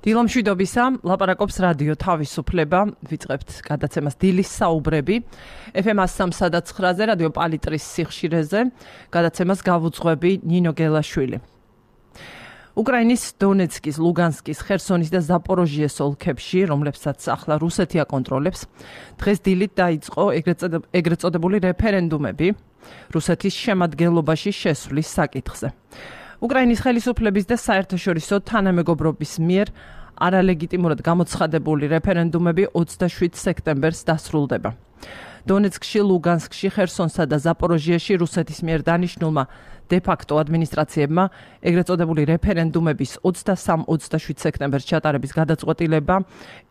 დილომშვიდობისა, ლაპარაკობს რადიო თავისუფლება, ვიწყებთ გადაცემას დილის საუბრები. FM 103.9-ზე რადიო პალიტრის სიხშირეზე გადაცემას გავუძღვები ნინო გელაშვილი. უკრაინის დონეცკის, ლუგანსკის, ხერსონის და ზაპოროჟიეს ოლქებში, რომლებსაც ახლა რუსეთი აკონტროლებს, დღეს დილით დაიწყო ეგრეთ წოდებული რეფერენდუმები რუსეთის შემადგენლობაში შესვლის საკითხზე. უკრაინის ხელისუფლების და საერთაშორისო თანამეგობრობის მიერ არალეგიტიმურად გამოცხადებული რეფერენდუმები 27 სექტემბერს დასრულდება. დონეცკში, ლუგანსკში, ხერსონსა და ზაპოროჟიაში რუსეთის მიერ დანიშნულმა დე-ფაქტო ადმინისტრაციებმა ეგრეთ წოდებული რეფერენდუმების 23-27 სექტემბერს ჩატარების გადაწყვეტილება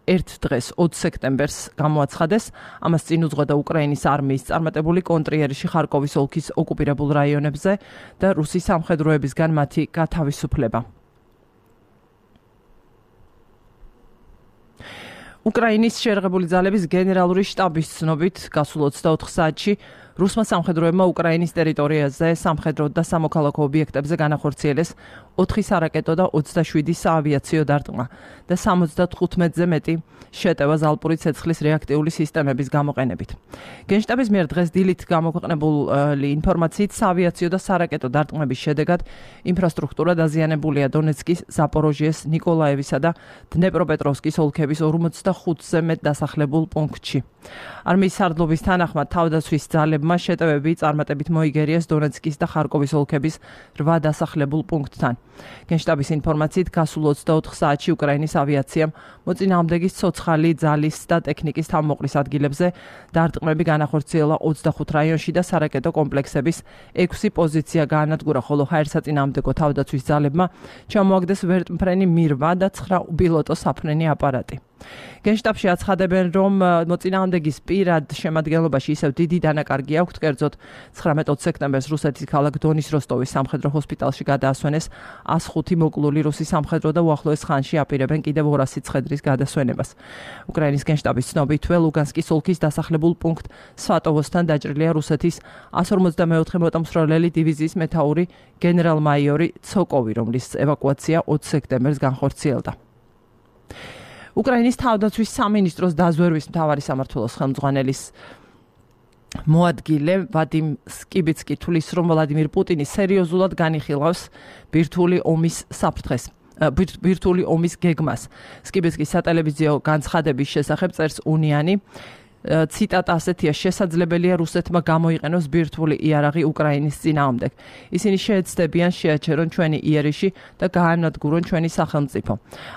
ერთ დღეს 20 სექტემბერს გამოაცხადეს. ამას წინ უძღვედა უკრაინის არმიის წარმატებული კონტრიერიში ხარკოვის ოლქის ოკუპირებულ რაიონებზე და რუსის სამხედროებისგან მათი გათავისუფლება. უკრაინის შეერაღებული ძალების გენერალური შტაბის ცნობით, გასულ 24 საათში რუსმა სამხედროებმა უკრაინის ტერიტორიაზე სამხედრო და სამოქალაქო ობიექტებზე განახორციელეს 4 სარაკეტო და 27 საავიაციო დარტყმა და 75-ზე მეტი შეტევა ზალპური ცეცხლის რეაქტიული სისტემების გამოყენებით. გენშტაბის მიერ დღეს დილით გამოქვეყნებული ინფორმაციით საავიაციო და სარაკეტო დარტყმების შედეგად ინფრასტრუქტურა დაზიანებულია დონეცკის, ზაპოროჟიეს, ნიკოლაევისა და დნეპროპეტროვსკის ოლქების 45-ზე მეტ დასახლებულ პუნქტში. არმიის სარდლობის თანახმად თავდაცვის ძალებმა შეტევები წარმატებით მოიგერიეს დონეცკის და ხარკოვის ოლქების 8 დასახლებულ პუნქტთან. გენშტაბის ინფორმაციით გასულ 24 საათში უკრაინის ავიაციამ მოწინააღმდეგის ცოცხალი ძალის და ტექნიკის თავმოყრის ადგილებზე დარტყმები განახორციელა 25 რაიონში და სარაკეტო კომპლექსების 6 პოზიცია გაანადგურა, ხოლო ჰაერსაწინააღმდეგო თავდაცვის ძალებმა ჩამოაგდეს ვერტმფრენი მირვა და 9 უპილოტო საფრენი აპარატი. გენშტაბში აცხადებენ, რომ მოწინააღმდეგის პირად შემადგენლობაში ისევ დიდი დანაკარგი აქვთ, კერძოდ 19 სექტემბერს რუსეთის ქალაქ დონის როსტოვის სამხედრო ჰოსპიტალში გადაასვენეს 105 მოკლული რუსი სამხედრო და უახლოეს ხანში აპირებენ კიდევ 200 ცხედრის გადასვენებას. უკრაინის გენშტაბის ცნობით, ლუგანსკის ოლქის დასახლებულ პუნქტ სვატოვოსთან დაჭრილია რუსეთის 154 მოტომსროლელი დივიზიის მეთაური გენერალ-მაიორი ცოკოვი, რომლის ევაკუაცია 20 სექტემბერს განხორციელდა. უკრაინის თავდაცვის სამინისტროს დაზვერვის მთავარი სამმართველოს ხელმძღვანელის მოადგილე ვადიმ სკიბიცკი თulis, რომ ვლადიმირ პუტინი სერიოზულად განიხილავს ბირთვული ომის საფრთხეს. ბირთვული ომის გეგმას. სკიბიცკის სატელევიზიო განცხადების შესახებ წერს უნიანი. ციტატა ასეთია: შესაძლებელია რუსეთმა გამოიყენოს ბირთვული იარაღი უკრაინის წინააღმდეგ. ისინი შეეცდებიან შეაჩერონ ჩვენი იერიში და გაანადგურონ ჩვენი სახელმწიფო.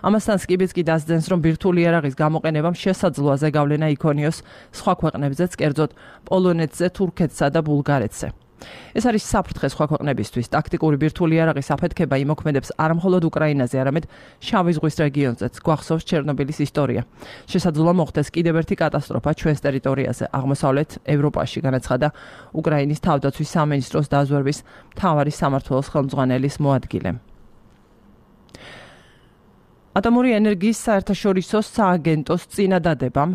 ამასთან სკიბიცკი დასძენს, რომ ბირთვული იარაღის გამოყენებამ შესაძლოა ზეგავლენა იქონიოს სხვა ქვეყნებზეც, კერძოდ პოლონეთზე, თურქეთსა და ბულგარეთზე. ეს არის საფრთხე სხვა ქვეყნებისთვის. ტაქტიკური ბირთვული იარაღის აფეთქება იმოქმედებს არა მხოლოდ უკრაინაზე, არამედ შავი ზღვის რეგიონზეც. გვახსოვს ჩერნობილის ისტორია. შესაძლოა მოხდეს კიდევ ერთი კატასტროფა ჩვენს ტერიტორიაზე, აღმოსავლეთ ევროპაში, განაცხადა უკრაინის თავდაცვის სამინისტროს დაზვერვის მთავარი სამმართველოს ხელმძღვანელის მოადგილე. ატომური ენერგიის საერთაშორისო სააგენტოს წინადადებამ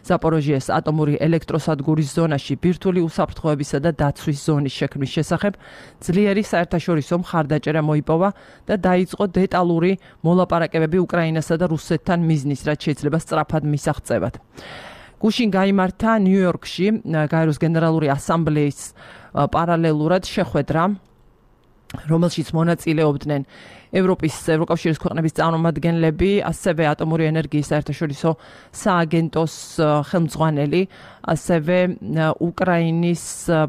ზაპოროჟიეს ატომური ელექტროსადგურის ზონაში ბირთვული უსაფრთხოებისა და დაცვის ზონის შექმნის შესახებ ძლიერი საერთაშორისო მხარდაჭერა მოიპოვა და დაიწყო დეტალური მოლაპარაკებები უკრაინასა და რუსეთთან მიზნის, რაც შეიძლება სწრაფად მისაღწევად. გუშინ გაიმართა ნიუ-იორკში გაეროს გენერალური ასამბლეის პარალელურად შეხვედრა, რომელშიც მონაწილეობდნენ ევროკავშირის ქვეყნების წარმომადგენლები, ასევე ატომური ენერგიის საერთაშორისო სააგენტოს ხელმძღვანელი, ასევე უკრაინის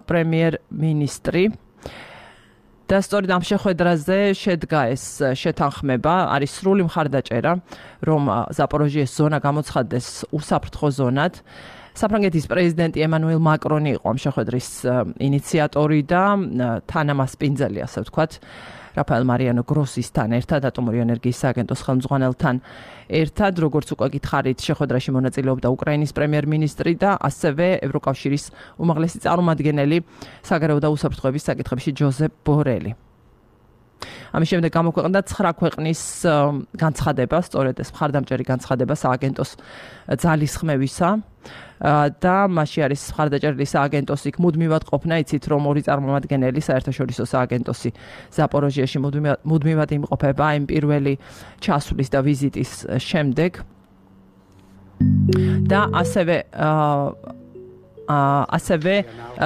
პრემიერ-მინისტრი. და სწორედ ამ შეხვედრაზე შედგა ეს შეთანხმება, არის სრული მხარდაჭერა, რომ ზაპოროჟიეს ზონა გამოცხადდეს უსაფრთხო ზონად. საფრანგეთის პრეზიდენტი ემანუელ მაკრონი იყო ამ შეხვედრის ინიციატორი და თანამასპინძელი, ასე ვთქვათ, რაფაელ მარიანო გროსისთან ერთად, ატომური ენერგიის სააგენტოს ხელმძღვანელთან ერთად, როგორც უკვე გითხარით, შეხვედრაში მონაწილეობდა უკრაინის პრემიერ-მინისტრი და ასევე ევროკავშირის უმაღლესი წარმომადგენელი საგარეო და უსაფრთხოების საკითხებში ჯოზეფ ბორელი. ამის შემდეგ გამოქვეყნდა 9 ქვეყნის განცხადება, სწორედ ეს მხარდამჭერი განცხადება სააგენტოს ძალისხმევისა და მასში არის მხარდაჭერილი სააგენტოს იქ მუდმივად ყოფნა, იცით რომ ორი წარმომადგენელი საერთაშორისო სააგენტოსი ზაპოროჟიაში მუდმივად იმყოფება იმ პირველი ჩასვლის და ვიზიტის შემდეგ და ასევე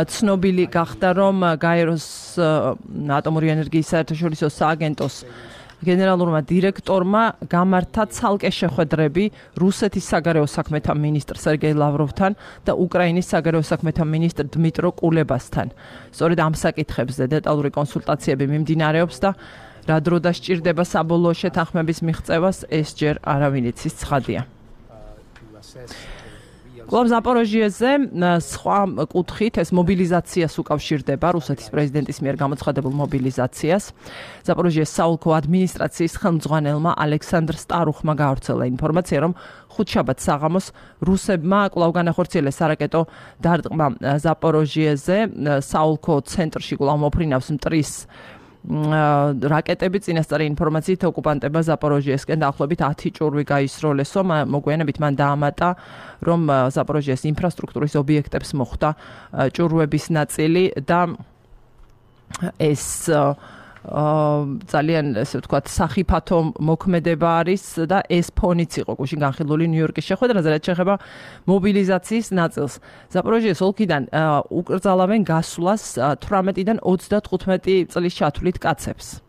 ცნობილი გახდა რომ გაეროს ატომური ენერგიის საერთაშორისო სააგენტოს გენერალურმა დირექტორმა გამართა ცალკე შეხვედრები რუსეთის საგარეო საქმეთა მინისტრ სერგეი ლავროვთან და უკრაინის საგარეო საქმეთა მინისტრ დმიტრო კულებასთან. სწორედ ამ საკითხებზე დეტალური კონსულტაციები მიმდინარეობს და რა დრო დასჭირდება საბოლოო შეთანხმების მიღწევას ეს ჯერ არავინ იცის ცხადია. კლუბ ზაპოროჟიეზე სხვა კუთხით ეს მობილიზაციას უკავშირდება რუსეთის პრეზიდენტის მიერ გამოცხადებულ მობილიზაციას. ზაპოროჟიეს საოლქო ადმინისტრაციის ხელმძღვანელმა ალექსანდრ სტარუხმა გაავრცელა ინფორმაცია, რომ ხუთშაბათს საღამოს რუსებმა კვლავ განახორციელეს სარაკეტო დარტყმა ზაპოროჟიეზე, საოლქო ცენტრში კვლავ მოფრინავს მტრის რაკეტები. წინასწარი ინფორმაციით ოკუპანტებმა ზაპოროჟიესკენ დაახლოებით 10 ჭურვი გაისროლესო. მოგვიანებით მან დაამატა, რომ ზაპოროჟიეს ინფრასტრუქტურის ობიექტებს მოხვდა ჭურვების ნაწილი და ეს ძალიან ესე ვთქვათ სახიფათო მოქმედება არის და ეს ფონიც იყო გუშინ განხილული ნიუ-იორკის შეხვედრაზე, რაც შეეხება მობილიზაციის ნაწილს. ზაპოროჟიეს ოლქიდან უკრძალავენ გასვლას 18-დან 35 წლის ჩათვლით კაცებს.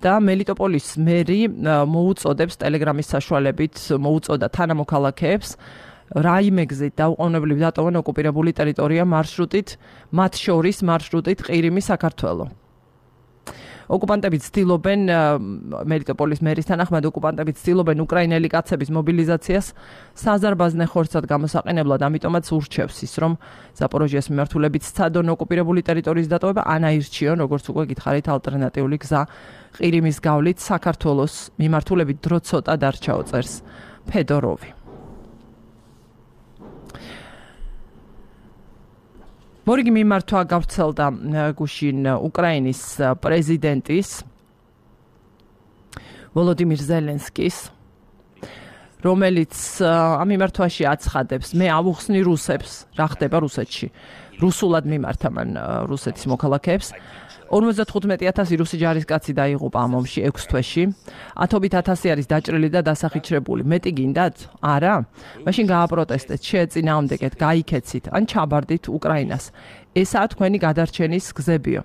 და მელიტოპოლის მერი მოუწოდებს ტელეგრამის საშუალებით მოუწოდა თანამოქალაქეებს რაიმეგზით დაუყოვნებლივ დატოვონ ოკუპირებული ტერიტორია მარშრუტით, მათ შორის მარშრუტით ყირიმი საქართველო. ოკუპანტები ცდილობენ მელიტოპოლის მერის თანახმად ოკუპანტები ცდილობენ უკრაინელი კაცების მობილიზაციას საზარბაზნე ხორცად გამოსაყენებლად, ამიტომაც ურჩევს ის, რომ ზაპოროჟიეს მიმართულებით სცადონ ოკუპირებული ტერიტორიის დატოვება, ან აირჩიონ, როგორც უკვე გითხარით, ალტერნატიული გზა ყირიმის გავლით საქართველოს მიმართულებით დრო ცოტა დარჩაო, წერს ფედოროვი. მორიგი მიმართვა გავრცელდა გუშინ უკრაინის პრეზიდენტის ვოლოდიმირ ზელენსკის, რომელიც ამ მიმართვაში აცხადებს, მე ავუხსნი რუსებს, რა ხდება რუსეთში. რუსულად მიმართა მან რუსეთის მოქალაქეებს. 55,000 რუსი ჯარისკაცი დაიღუპა ამ ომში 6 თვეში. 10,000 არის დაჭრილი და დასახიჩრებული. მეტი გინდათ? არა? მაშინ გააპროტესტეთ, შეეწინააღმდეგეთ, გაიქეცით, ან ჩაბარდით უკრაინას. ესაა თქვენი გადარჩენის გზებიო.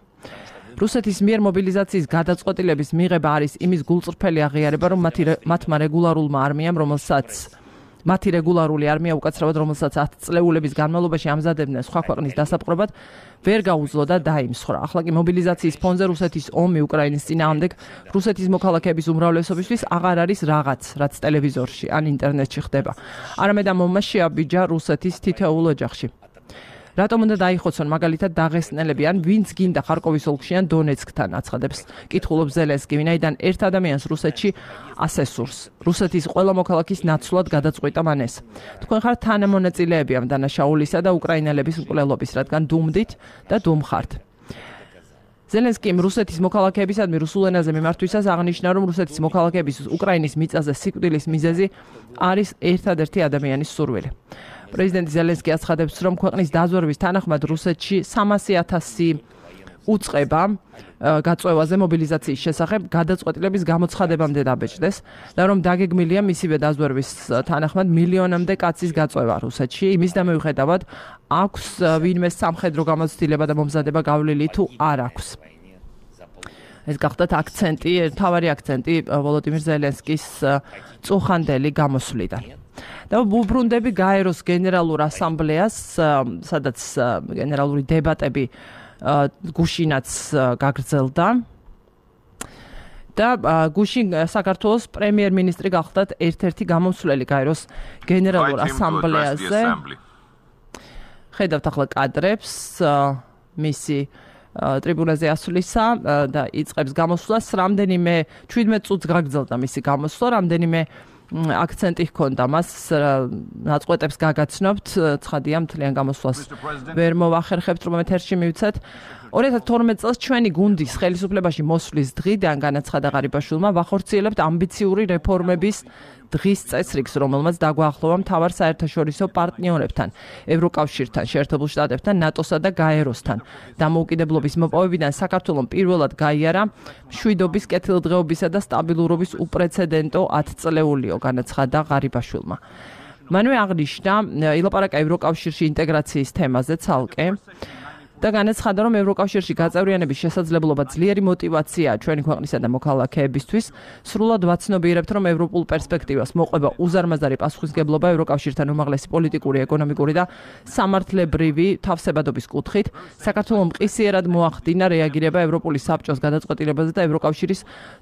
რუსეთის მიერ მობილიზაციის გადაწყვეტილების მიღება არის იმის გულწრფელი აღიარება, რომ მათმა რეგულარულმა არმიამ, მათი რეგულარული არმია უკაცრავად, რომელსაც 10 წლეულების განმავლობაში ამზადებდნენ სხვა ქვეყნის დასაპყრობად, ვერ გაუძლო და დაიმსხვრა. ახლა კი მობილიზაციის ფონზე რუსეთის ომი უკრაინის წინააღმდეგ რუსეთის მოქალაქეების უმრავლესობისთვის აღარ არის რაღაც, რაც ტელევიზორში ან ინტერნეტში ხდება. არამედ ამ ომმა შეაბიჯა რუსეთის თითოეულ ოჯახში. რატომ უნდა დაიხოცონ მაგალითად დაღესტნელები ან ვინც გინდა ხარკოვის ოლქში ან დონეცკთან, აცხადებს კითხულობს ზელენსკი, ვინაიდან ერთ ადამიანს რუსეთში ასე სურს. რუსეთის ყველა მოქალაქის ნაცვლად გადაწყვიტა მან ეს. თქვენ ხართ თანამონაწილეები ამ დანაშაულისა და უკრაინელების მკვლელობის, რადგან დუმდით და დუმხართ. ზელენსკიმ რუსეთის მოქალაქეებისადმი რუსულ ენაზე მიმართვისას აღნიშნა, რომ რუსეთის მოქალაქეების უკრაინის მიწაზე სიკვდილის მიზეზი არის ერთადერთი ადამიანის სურვილი. პრეზიდენტი ზელენსკი აცხადებს, რომ ქვეყნის დაზვერვის თანახმად რუსეთში 300,000 უწყება გაწევაზე მობილიზაციის შესახებ გადაწყვეტილების გამოცხადებამდე დაბეჭდეს და რომ დაგეგმილია მისივე დაზვერვის თანახმად მილიონამდე კაცის გაწევა რუსეთში. იმის და მიუხედავად აქვს ვინმე სამხედრო გამოცდილება და მომზადება გავლილი თუ არ აქვს. ეს გახდათ აქცენტი, თავარი აქცენტი ვოლოდიმირ ზელენსკის წუხანდელი გამოსვლიდან. და ვუბრუნდები გაეროს გენერალურ ასამბლეას, სადაც გენერალური დებატები გუშინაც გაგრძელდა. და გუშინ საქართველოს პრემიერ-მინისტრი გახდათ ერთ-ერთი გამომსვლელი გაეროს გენერალურ ასამბლეაზე. ხედავთ ახლა კადრებს მისი ტრიბუნაზე ასვლისა და იწყებს გამოსვლას. რამდენიმე 17 წუთს გაგრძელდა მისი გამოსვლა, რამდენიმე აქცენტი ჰქონდა მას, ნაწყვეტებს გაგაცნობთ, ცხადია მთლიან გამოსვლას ვერ მოვახერხებთ, რომ ეთერში მივცეთ. 2012 წელს ჩვენი გუნდის ხელისუფლებაში მოსვლის დღიდან განაცხადა ღარიბაშვილმა ვახორციელებთ ამბიციური რეფორმების დღის წესრიგს, რომელმაც დაგვაახლოვა მთავარ საერთაშორისო პარტნიორებთან, ევროკავშირთან, შეერთებულ შტატებთან, ნატოსა და გაეროსთან. დამოუკიდებლობის მოპოვებიდან საქართველოს პირველად გაიარა მშვიდობის, კეთილდღეობისა და სტაბილურობის უპრეცედენტო 10 წლეულიო, განაცხადა ღარიბაშვილმა. მანვე აღნიშნა ილაპარაკა ევროკავშირში ინტეგრაციის თემაზე ცალკე და განაცხადა, რომ ევროკავშირში გაწევრიანების შესაძლებლობა ძლიერი მოტივაციაა ჩვენი ქვეყნისა და მოქალაქეებისთვის. სრულად ვაცნობიერებთ, რომ ევროპულ პერსპექტივას მოყვება უზარმაზარი პასუხისმგებლობა ევროკავშირთან უმაღლესი პოლიტიკური, ეკონომიკური და სამართლებრივი თავსებადობის კუთხით. საქართველოს მყისიერად მოახდინა რეაგირება ევროპული საბჭოს გადაწყვეტილებაზე და ევროკავშირის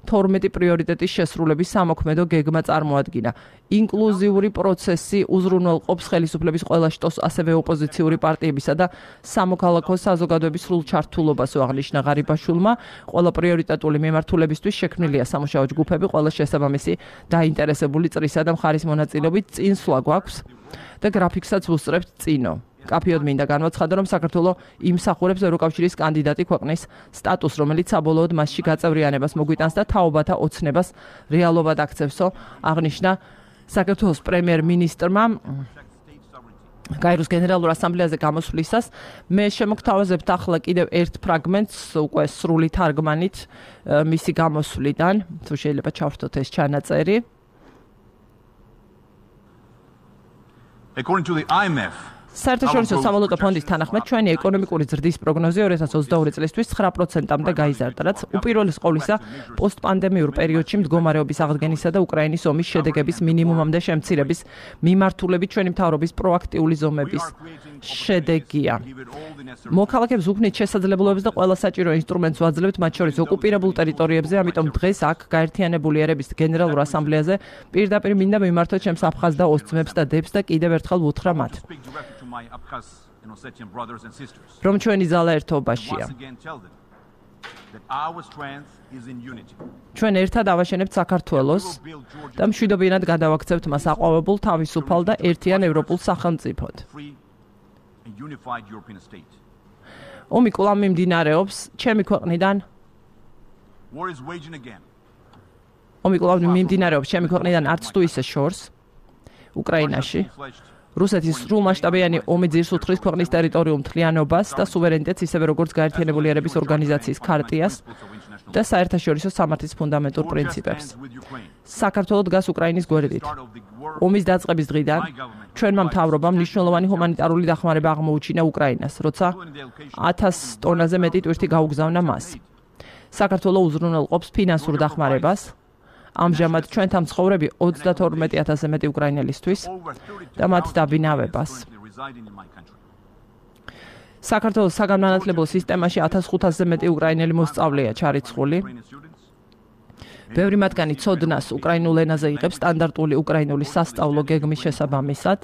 12 პრიორიტეტის შესრულების სამოქმედო გეგმა წარმოადგინა. ინკლუზიური პროცესი უზრუნველყოფს ხელისუფლების ყველა შტოს, ასევე ოპოზიციური პარტიებისა და სამოქალაქო საზოგადოების სრულ ჩართულობას, აღნიშნა ღარიბაშვილმა. ყველა პრიორიტეტული მიმართულებისთვის შექმნილია სამუშაო ჯგუფები, ყველა შესაბამისი დაინტერესებული წრისა და მხარის მონაწილეობით წინსვლა გვაქვს და გრაფიკსაც ვუსწრებთ წინო. კაფეოდ მინდა განვაცხადო, რომ საქართველოს იმსახურებს ევროკავშირის კანდიდატი ქვეყნის სტატუსს, რომელიც საბოლოოდ მასში გაწევრიანებას მოგვიტანს და თაობათა ოცნებას რეალობად აქცევსო, აღნიშნა საქართველოს პრემიერ-მინისტრმა გაეროს გენერალურ ასამბლეაზე გამოსვლისას. მე შემოგთავაზებთ ახლა კიდევ ერთ ფრაგმენტს, უკვე სრული თარგმანით მისი გამოსვლიდან, თუ შეიძლება ჩავრთოთ ეს ჩანაწერი. According to the IMF, საერთაშორისო სავალუტო ფონდის თანახმად, ჩვენი ეკონომიკური ზრდის პროგნოზი 2022 წლისთვის 9%-მდე გაიზარდა, რაც უპირველეს ყოვლისა პოსტპანდემიურ პერიოდში მდგომარეობის აღდგენისა და უკრაინის ომის შედეგების მინიმუმამდე შემცირების მიმართულებით ჩვენი მთავრობის პროაქტიული ზომების შედეგია. მოქალაქეებს უქმნით შესაძლებლობებს და ყველა საჭირო ინსტრუმენტს ვაძლევთ, მათ შორის ოკუპირებულ ტერიტორიებზე, ამიტომ დღეს აქ გაერთიანებული ერების გენერალურ ასამბლეაზე პირდაპირ მინდა მიმართოთ ჩემს აფხაზ და ოსძმებს და დებს და კიდევ ერთხელ ვუთხრა მათ, რომ ჩვენი ძალა ერთობაშია. ჩვენ ერთად ავაშენებთ საქართველოს და მშვიდობიანად გადავაქცევთ მას აყვავებულ, თავისუფალ და ერთიან ევროპულ სახელმწიფოდ. ომი კვლავ მიმდინარეობს ჩემი ქვეყნიდან. არც თუ ისე შორს უკრაინაში. რუსეთის სრულმასშტაბიანი ომი ძირს უთხრის ქვეყნის ტერიტორიულ მთლიანობას და სუვერენიტეტს, ისევე როგორც გაერთიანებული ერების ორგანიზაციის ქარტიას და საერთაშორისო სამართლის ფუნდამენტურ პრინციპებს. საქართველო დგას უკრაინის გვერდით. ომის დაწყების დღიდან ჩვენმა მთავრობამ მნიშვნელოვანი ჰუმანიტარული დახმარება აღმოუჩინა უკრაინას, როცა 1000 ტონაზე მეტი ტვირთი გაუგზავნა მას. საქართველო უზრუნველყოფს ფინანსურ დახმარებას. ამჟამად ჩვენთან მცხოვრები 32000-ზე მეტი უკრაინელისთვის და მათ დაბინავებას. საქართველოს საგანმანათლებლო სისტემაში 1500-ზე მეტი უკრაინელი მოსწავლეა ჩარიცხული. ბევრი მათგანი ცოდნას უკრაინულ ენაზე იღებს სტანდარტული უკრაინული სასწავლო გეგმის შესაბამისად.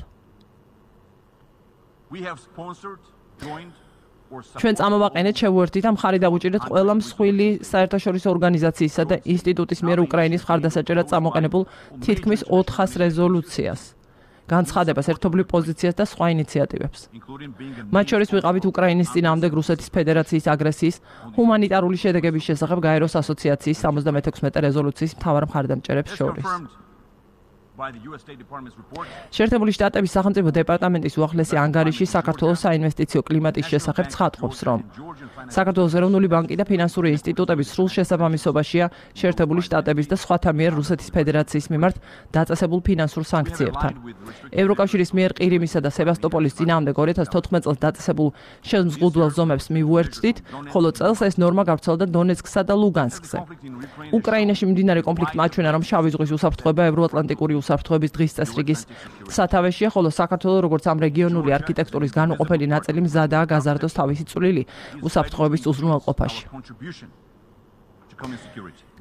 ჩვენ წამოვაყენეთ, შევუერთდით და მხარი დავუჭირეთ ყველა მსხვილი საერთაშორისო ორგანიზაციისა და ინსტიტუტის მიერ უკრაინის მხარდასაჭერად წამოყენებულ თითქმის 400 რეზოლუციას, განცხადებას, ერთობლივ პოზიციას და სხვა ინიციატივებს. მათ შორის ვიყავით უკრაინის წინააღმდეგ რუსეთის ფედერაციის აგრესიის ჰუმანიტარული შედეგების შესახებ გაეროს ასოციაციის 76 რეზოლუციის მთავარ მხარდამჭერებს შორის. შეერთებული შტატების სახელმწიფო დეპარტამენტის უახლესი ანგარიში საქართველოს საინვესტიციო კლიმატის შესახებ ცხადყოფს, რომ საქართველოს ეროვნული ბანკი და ფინანსური ინსტიტუტების სრულ შესაბამისობაშია შეერთებული შტატების და სხვათა მიერ რუსეთის ფედერაციის მიმართ დაწესებულ ფინანსურ სანქციებთან. ევროკავშირის მიერ ყირიმისა და სევასტოპოლის წინააღმდეგ 2014 წელს დაწესებულ შემზღუდველ ზომებს მივუერთდით, ხოლო წელს ეს ნორმა გავრცელდა დონეცკსა და ლუგანსკზე. უკრაინაში მიმდინარე კონფლიქტმა აჩვენა, რომ შავი ზღვის უსაფრთხოება ევროატლანტიკური უსაფრთხოების დღის წესრიგის სათავეშია, ხოლო საქართველოს როგორც ამ რეგიონული არქიტექტურის განუყოფელი ნაწილი მზადაა გაზარდოს თავისი წვლილი უსაფრთხოების უზრუნველყოფაში.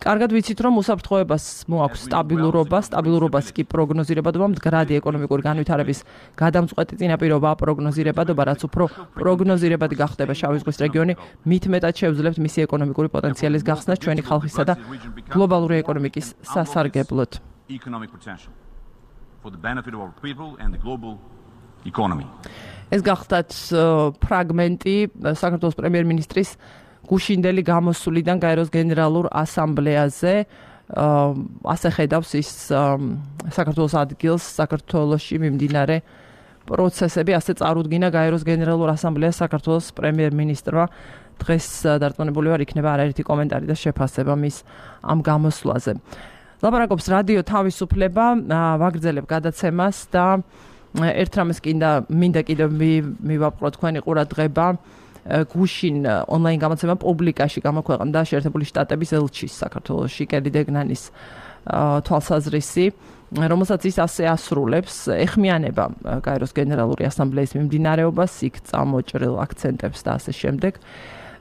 კარგად ვიცით, რომ უსაფრთხოებას მოაქვს სტაბილურობას კი პროგნოზირებადობა, მდგრადი ეკონომიკური განვითარების გადამწყვეტი წინაპირობაა პროგნოზირებადობა, რაც უფრო პროგნოზირებადი გახდება შავი ზღვის რეგიონი, მით მეტად შეუძლებთ მისი ეკონომიკური პოტენციალის გახსნას ჩვენი ხალხისა და გლობალური ეკონომიკის სასარგებლოდ. ეს გახდათ ფრაგმენტი საქართველოს პრემიერ-მინისტრის გუშინდელი გამოსვლიდან გაეროს გენერალურ ასამბლეაზე. ასე ხედავს ის საქართველოს ადგილს საქართველოში მიმდინარე პროცესები, ასე წარუდგინა გაეროს გენერალურ ასამბლეას საქართველოს პრემიერ-მინისტრმა. დღეს დარწმუნებული ვარ, იქნება არაერთი კომენტარი და შეფასება მის ამ გამოსვლაზე. ლაპარაკობს რადიო თავისუფლება, ვაგრძელებ გადაცემას და ერთ რამეს მინდა კიდევ მივაპყრო თქვენი ყურადღება. გუშინ ონლაინ გამოცემა პუბლიკაში გამოქვეყნდა შეერთებული შტატების ელჩის საქართველოში კელი დეგნანის თვალსაზრისი, რომელსაც ის ასე ასრულებს, ეხმიანება გაეროს გენერალური ასამბლეის მიმდინარეობას, იქ წამოჭრილ აქცენტებს და ასე შემდეგ.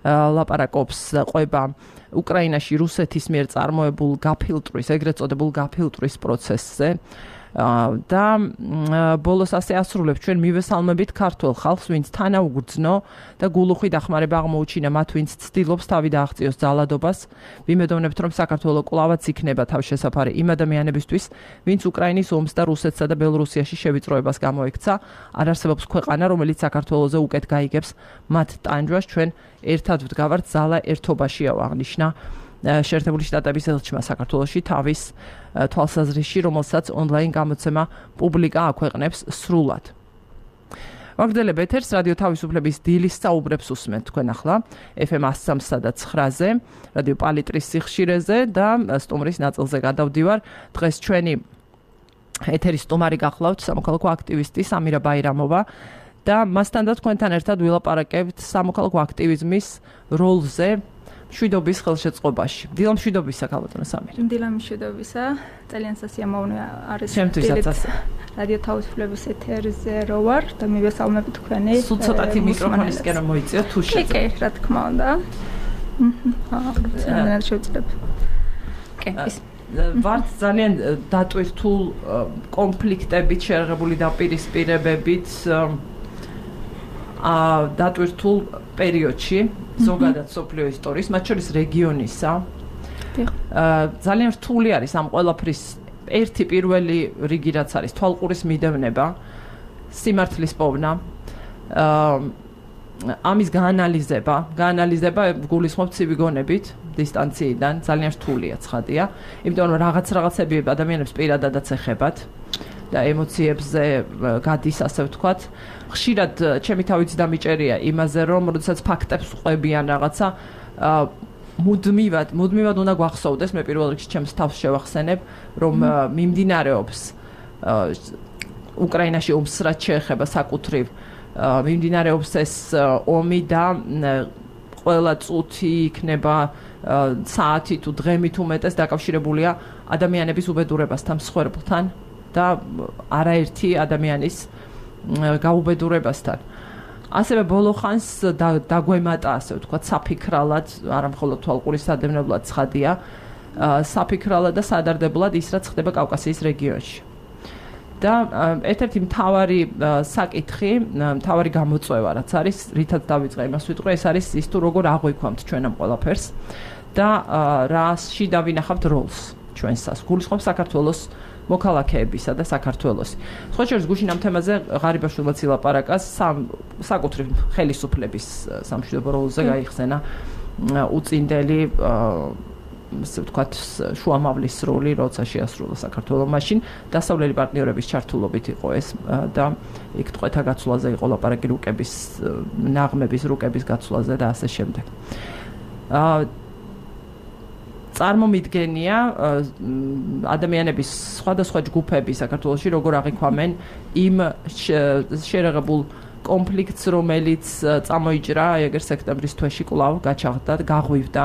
ლაპარაკობს ყვება უკრაინაში რუსეთის მიერ წარმოებულ გაფილტვის, ეგრეთ წოდებულ გაფილტვის პროცესზე. და ბოლოს ასე ასრულებს ჩვენ მივესალმებით ქართულ ხალხს, ვინც თანაუგრძნო და გულუხვი დახმარება აღმოუჩინა მათ, ვინც ცდილობს თავი დააღწიოს ძალადობას. ვიმედოვნებთ, რომ საქართველო კვლავაც იქნება თავშესაფარი იმ ადამიანებისთვის, ვინც უკრაინის ომს და რუსეთსა და ბელორუსიაში შევიწროებას გამოექცა. არ არსებობს ქვეყანა, რომელიც საქართველოზე უკეთ გაიგებს მათ ტანჯვას. ჩვენ ერთად ვდგავართ, ძალა ერთობაშია, აღნიშნა შეერთებული შტატების ელჩმა საქართველოში თავის თვალსაზრისში, რომელსაც ონლაინ გამოცემა პუბლიკა აქვეყნებს სრულად. ვაგრძელებ ეთერს რადიო თავისუფლების დილის საუბრებს უსმენთ თქვენ ახლა FM 103.9-ზე, რადიო პალიტრის სიხშირეზე და სტუმრის ნაწილზე გადავდივარ. დღეს ჩვენი ეთერის სტუმარი გახლავთ სამოქალაქო აქტივისტი სამირა ბაირამოვა და მასთან და თქვენთან ერთად ვილაპარაკებთ სამოქალაქო აქტივიზმის როლზე მშვიდობის ხელშეწყობაში. დილა მშვიდობისა, ქალბატონო სამირა. დილა მშვიდობისა. ძალიან სასიამოვნო არის რადიო თავისუფლების ეთერზე რო ვარ და მივესალმებით თქვენი. სულ ცოტათი მიკროფონისკენ რომ მოიწიოთ თუ შეძლებთ. კი, რა თქმა უნდა. ძალიან შევძლებ. კი, ის ვართ ძალიან დატვირთულ კონფლიქტებით შეერაღებული დაპირისპირებებით დატვირთულ პერიოდში ზოგადად სოფლიო ისტორიის, მათ შორის რეგიონისა. ძალიან რთული არის ამ ყველაფრის ერთი პირველი რიგი, რაც არის თვალყურის მიდევნება, სიმართლის პოვნა, ამის გაანალიზება გულისხმობ ცივი გონებით დისტანციიდან, ძალიან რთულია, ცხადია, იმიტომ რომ რაღაცები ადამიანებს პირადადაც ეხებათ და ემოციებზე გადის, ასე ვთქვათ. ხშირად ჩემი თავიც დამიჭერია იმაზე, რომ როდესაც ფაქტებს ვყვებიან რაღაცა, მუდმივად უნდა გვახსოვდეს, მე პირველ რიგში ჩემს თავს შევახსენებ, რომ მიმდინარეობს უკრაინაში ომს რაც შეეხება საკუთრივ, მიმდინარეობს ეს ომი და ყველა წუთი იქნება საათი თუ დღემით უმეტეს დაკავშირებულია ადამიანების უბედურებასთან, მსხვერპლთან და არაერთი ადამიანის გაუბედურებასთან. ასევე ბოლო ხანს დაგვემატა, ასე ვთქვათ, საფიქრალად, არა მხოლოდ თვალყურის სადევნებლად ცხადია, საფიქრალად და სადარდებლად ის, რაც ხდება კავკასიის რეგიონში. და ერთ-ერთი მთავარი საკითხი, მთავარი გამოწვევა, რაც არის, რითაც დავიწყე იმას ვიტყვი, ეს არის ის თუ როგორ აღვიქვამთ ჩვენ ამ ყველაფერს და რაში დავინახავთ როლს ჩვენსას. გულისხმობ საქართველოს მოქალაქეებისა და საქართველოს. სხვა შორის გუშინ ამ თემაზე ღარიბაშვილმა ილაპარაკა საკუთრივ ხელისუფლების სამშვიდობო როლზე გაიხსენა უწინდელი ასე ვთქვათ შუამავლის როლი, როცა შეასრულა საქართველოს მაშინ დასავლელი პარტნიორების ჩართულობით იყო ეს და იქ ტყვეთა გაცვლაზე იყო ლაპარაკი რუკების ნაღმების რუკების გაცვლაზე და ასე შემდეგ. წარმომიდგენია ადამიანების სხვადასხვა ჯგუფები საქართველოში როგორ აღიქვამენ იმ შეერაღებულ კონფლიქტს, რომელიც წამოიჭრა ეგერ სექტემბრის თვეში კვლავ გაჩაღდა, გაღვივდა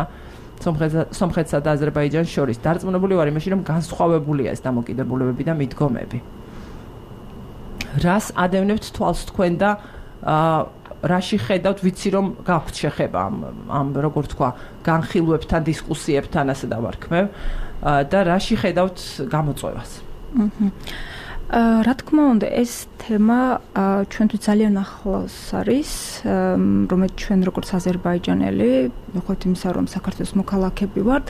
სომხეთსა და აზერბაიჯანს შორის. დარწმუნებული ვარ იმაში, რომ განსხვავებულია ეს დამოკიდებულებები და მიდგომები. რას ადევნებთ თვალს თქვენ და რაში ხედავთ, ვიცი რომ გაქვთ შეხება ამ როგორ თქვა, განხილვებთან, დისკუსიებთან, ასე დავარქმევ და რაში ხედავთ გამოწვევას. რა თქმა უნდა, ეს თემა ჩვენთვის ძალიან ახლოს არის, რომელიც ჩვენ როგორც აზერბაიჯანელი, მიუხედავად იმისა, რომ საქართველოს მოქალაქეები ვართ,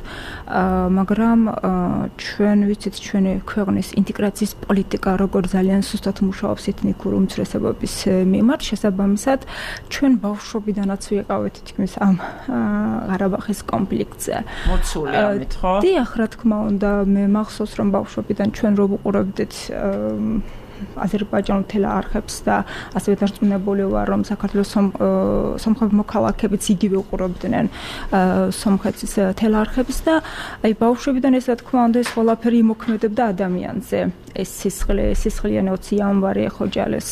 მაგრამ ჩვენ ვიცით ჩვენი ქვეყნის ინტეგრაციის პოლიტიკა როგორ ძალიან სუსტად მუშაობს ეთნიკური უმცირესობების მიმართ, შესაბამისად, ჩვენ ბავშვობიდანაც ვიყავით თითქმის ამ ყარაბაღის კონფლიქტზე. მოცული ამით, ხო? დიახ, რა თქმა უნდა, მე მახსოვს, რომ ბავშვობიდან ჩვენ რო ვუყურებდით აზერბაიჯანულ თელეარხებს და ასევე დარწმუნებული ვარ, რომ საქართველოს სომხები მოქალაქეებიც იგივე უყურებდნენ სომხეთის თელეარხებს და აი ბავშვებიდან ეს რა თქმა უნდა ეს ყველაფერი იმოქმედებდა ადამიანზე. ეს სისხლიანი 20 იანვარი ხოჯალეს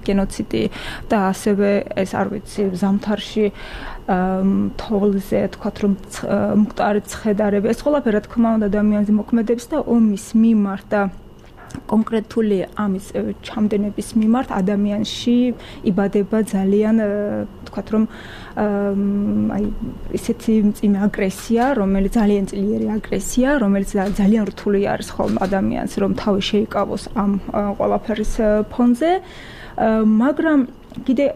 გენოციდი და ასევე ეს არ ვიცი ზამთარში თოვლზე თქვათ რომ მკვდარი ცხედარები ეს ყველაფერი რა თქმა უნდა ადამიანზე მოქმედებს და ომის მიმართ და კონკრეტული ამის ჩამდენების მიმართ ადამიანში იბადება ძალიან თქვათ რომ აი ესეთი მძიმე აგრესია, რომელიც ძალიან ძლიერი აგრესია, რომელიც ძალიან რთული არის ხოლმე ადამიანს, რომ თავი შეიკავოს ამ ყველაფერის ფონზე, მაგრამ კიდე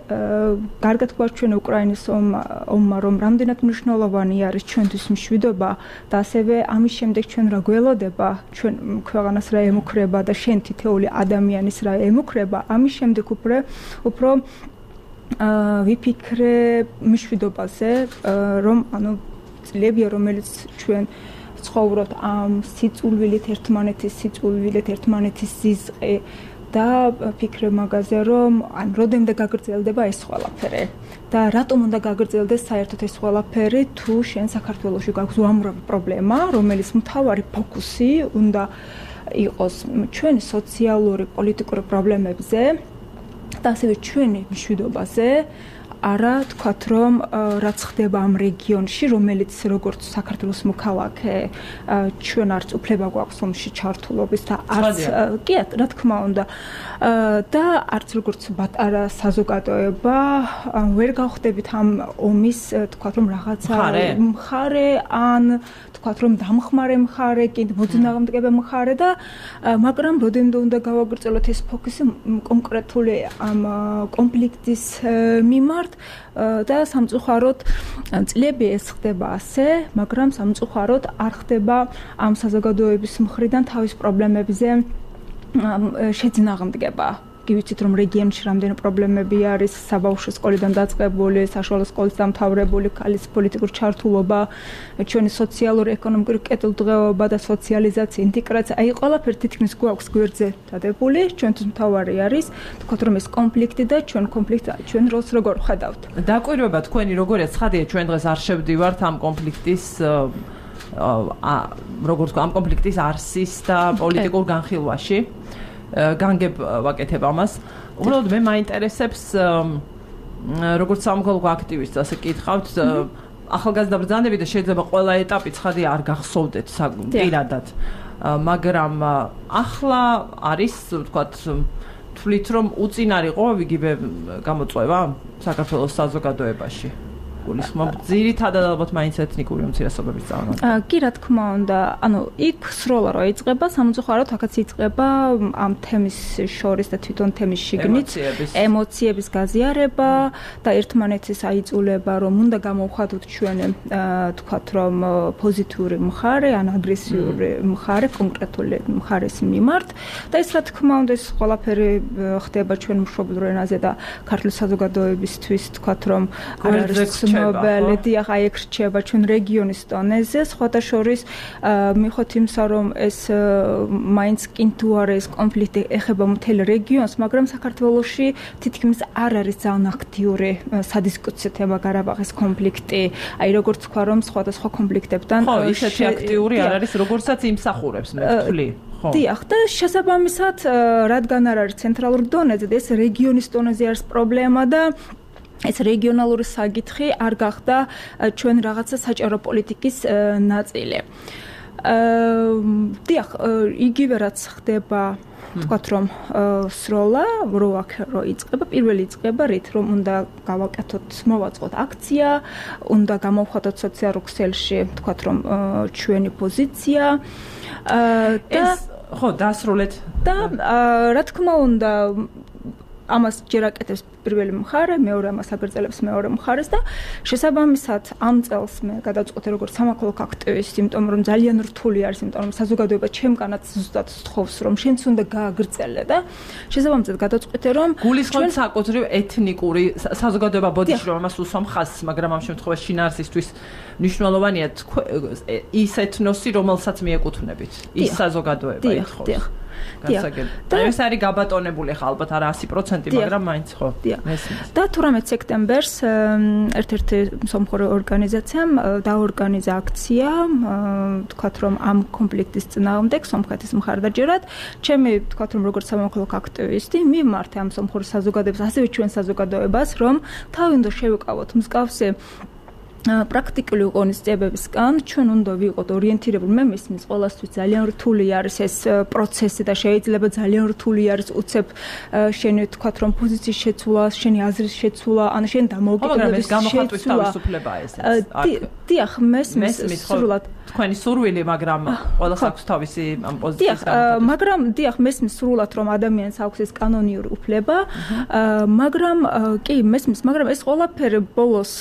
კარგად გვაქვს ჩვენ უკრაინის ომმა, რომ რამდენად მნიშვნელოვანი არის ჩვენთვის მშვიდობა და ასევე ამის შემდეგ ჩვენ რა გველოდება, ჩვენ ქვეყანას რა ემუქრება და შენ თითოეული ადამიანის რა ემუქრება, ამის შემდეგ უფრო ვიფიქრე მშვიდობაზე, რომ ანუ წლებია, რომელიც ჩვენ ცხოვრობთ ამ სიწულვილით ერთმანეთის ზიზყი და ფიქრე მაგაზე, რომ ან როდემდე გაგრძელდება ეს ყველაფერი და რატომ უნდა გაგრძელდეს საერთოდ ეს ყველაფერი, თუ შენ საქართველოში გაქვს უამრავი პრობლემა, რომელიც მთავარი ფოკუსი უნდა იყოს ჩვენი სოციალური, პოლიტიკური პრობლემებზე და ასევე ჩვენი მშვიდობაზე, არა თქვათ რომ რაც ხდება ამ რეგიონში, რომელიც როგორც საქართველოს მოქალაქე ჩვენ არც უფლება გვაქვს ომში ჩართულობის და არც კი რა თქმა უნდა და არც როგორც პატარა საზოგადოება ვერ გავხდებით ამ ომის თქვათ რომ რაღაცა მხარე ან თქვათ რომ დამხმარე მხარე, კი მოძნააღმდეგე მხარე და მაგრამ როდენდე უნდა გავაგრძელოთ ეს ფოკუსი კონკრეტული ამ კონფლიქტის მიმართ და სამწუხაროდ წლები ეს ხდება ასე, მაგრამ სამწუხაროდ არ ხდება ამ საზოგადოების მხრიდან თავის პრობლემებზე შეძნააღმდგება. Გივიცით რომ რეგიონში რამდენი პრობლემები არის, საბავშვო სკოლიდან დაწყებული, საშუალო სკოლის დამთავრებული, ქალის პოლიტიკური ჩართულობა, ჩვენი სოციალური, ეკონომიკური კეთილდღეობა და სოციალიზაცია, ინტეგრაცია, აი ყველაფერი თითქმის გვაქვს გვერდზე დადებული, ჩვენთვის მთავარი არის, თქვათ რომ ეს კონფლიქტი და ჩვენ ჩვენ როლს როგორ ხედავთ. დაკვირვება თქვენი როგორია ცხადია, ჩვენ დღეს არ შევდივართ ამ კონფლიქტის როგორც ამ კონფლიქტის არსის და პოლიტიკურ განხილვაში. განგებ ვაკეთებ ამას. უბრალოდ მე მაინტერესებს როგორც სამოქალაქო აქტივისტს ასე კითხავთ ახალგაზრდა ბრძანები და შეიძლება ყველა ეტაპი ცხადია არ გახსოვდეთ პირადად. მაგრამ ახლა არის ვთქვათ თვლით რომ უწინარიყო იგივე გამოწვევა საქართველოს საზოგადოებაში. გულისხმობ ძირითადად ალბათ მაინც ეთნიკური უმცირესობების წარმომადგენლები. კი რა თქმა უნდა, ანუ იქ სროლა რო იწყება, სამწუხაროდ აქაც იწყება ამ თემის შორის და თვითონ თემის შიგნით ემოციების გაზიარება და ერთმანეთის აიძულება, რომ უნდა გამოვხატოთ ჩვენ თქვათ რომ პოზიტიური მხარე, ან აგრესიული მხარე კონკრეტული მხარის მიმართ და ეს რა თქმა უნდა ეს ყველაფერი ხდება ჩვენ მშობლიურ ენაზე და ქართული საზოგადოებისთვის თქვათ რომ არ არის ნობელი აი ეგ რჩება ჩვენ რეგიონის დონეზე სხვათა შორის მიხვდით იმსა რომ ეს მაინც კინტუ არის კონფლიქტი ეხება მთელ რეგიონს მაგრამ საქართველოში თითქმის არ არის ძალიან აქტიური სადისკუსიო თემა გარაბაღის კონფლიქტი აი როგორც თქვა რომ სხვადასხვა კონფლიქტებთან ხო ისეთი აქტიური არ არის როგორცაც იმსახურებს მე ვთვლი დიახ და შესაბამისად რადგან არ არის ცენტრალურ დონეზე და ეს რეგიონის დონეზე არის პრობლემა და ეს რეგიონალური საკითხი არ გახდა ჩვენ რაღაცა საჭირო პოლიტიკის ნაწილი. დიახ, იგივე რაც ხდება, თქვათ რომ სროლა, რო იწყება, პირველი იწყება რით, რომ უნდა გავაკეთოთ, მოვაწყოთ აქცია, უნდა გამოვხატოთ სოციალურ ქსელში, თქვათ რომ ჩვენი პოზიცია და ხო, დასრულეთ. და რა თქმა უნდა ამას ჯერ აკეთებს პირველი მხარე, მეორე ამას აგრძელებს მეორე მხარეს და შესაბამისად ამ წელს მე გადავწყვეტე როგორც სამოქალაქო აქტივისტი, იმიტომ რომ ძალიან რთული არის, იმიტომ რომ საზოგადოება ჩემგანაც ზუსტად სთხოვს რომ შენც უნდა გააგრძელე და შესაბამისად გადავწყვეტე რომ გულისხმობთ საკუთრივ ეთნიკური საზოგადოება ბოდიში რომ ამას უსვამ ხაზს, მაგრამ ამ შემთხვევაში შინაარსისთვის მნიშვნელოვანია ის ეთნოსი, რომელსაც მიეკუთვნებით, ის საზოგადოება ითხოვს. და ეს არის გაბატონებული ხა ალბათ არა 100%, მაგრამ მაინც ხო. და 18 სექტემბერს ერთ-ერთი მსოფლიო ორგანიზაციამ დაორგანიზა აქცია, თქვათ რომ ამ კონფლიქტის წინააღმდეგ სომხეთის მხარდაჭერად, ჩემი თქვათ რომ როგორც სამოქალაქო აქტივისტი მიმართე ამ მსოფლიო საზოგადოებას, ასევე ჩვენ საზოგადოებას, რომ თავი უნდა შევიკავოთ მსგავსი პრაქტიკული ღონისძიებებისგან ჩვენ უნდა ვიყოთ ორიენტირებული. მე მისმის ყველასთვის ძალიან რთული არის ეს პროცესი და შეიძლება ძალიან რთული არის უცებ შენი თქვათ რომ პოზიციის შეცვლა, შენი აზრის შეცვლა, ან შენ დამოუკიდებლობის გამოხატვის თავისუფლებაა ეს. დიახ, მესმის სრულად თქვენი სურვილი, მაგრამ ყველას აქვს თავისი ამ პოზიციის გამოხატვა. მაგრამ დიახ, მესმის სრულად რომ ადამიანს აქვს ეს კანონიური უფლება, მაგრამ კი მესმის, მაგრამ ეს ყველაფერი ბოლოს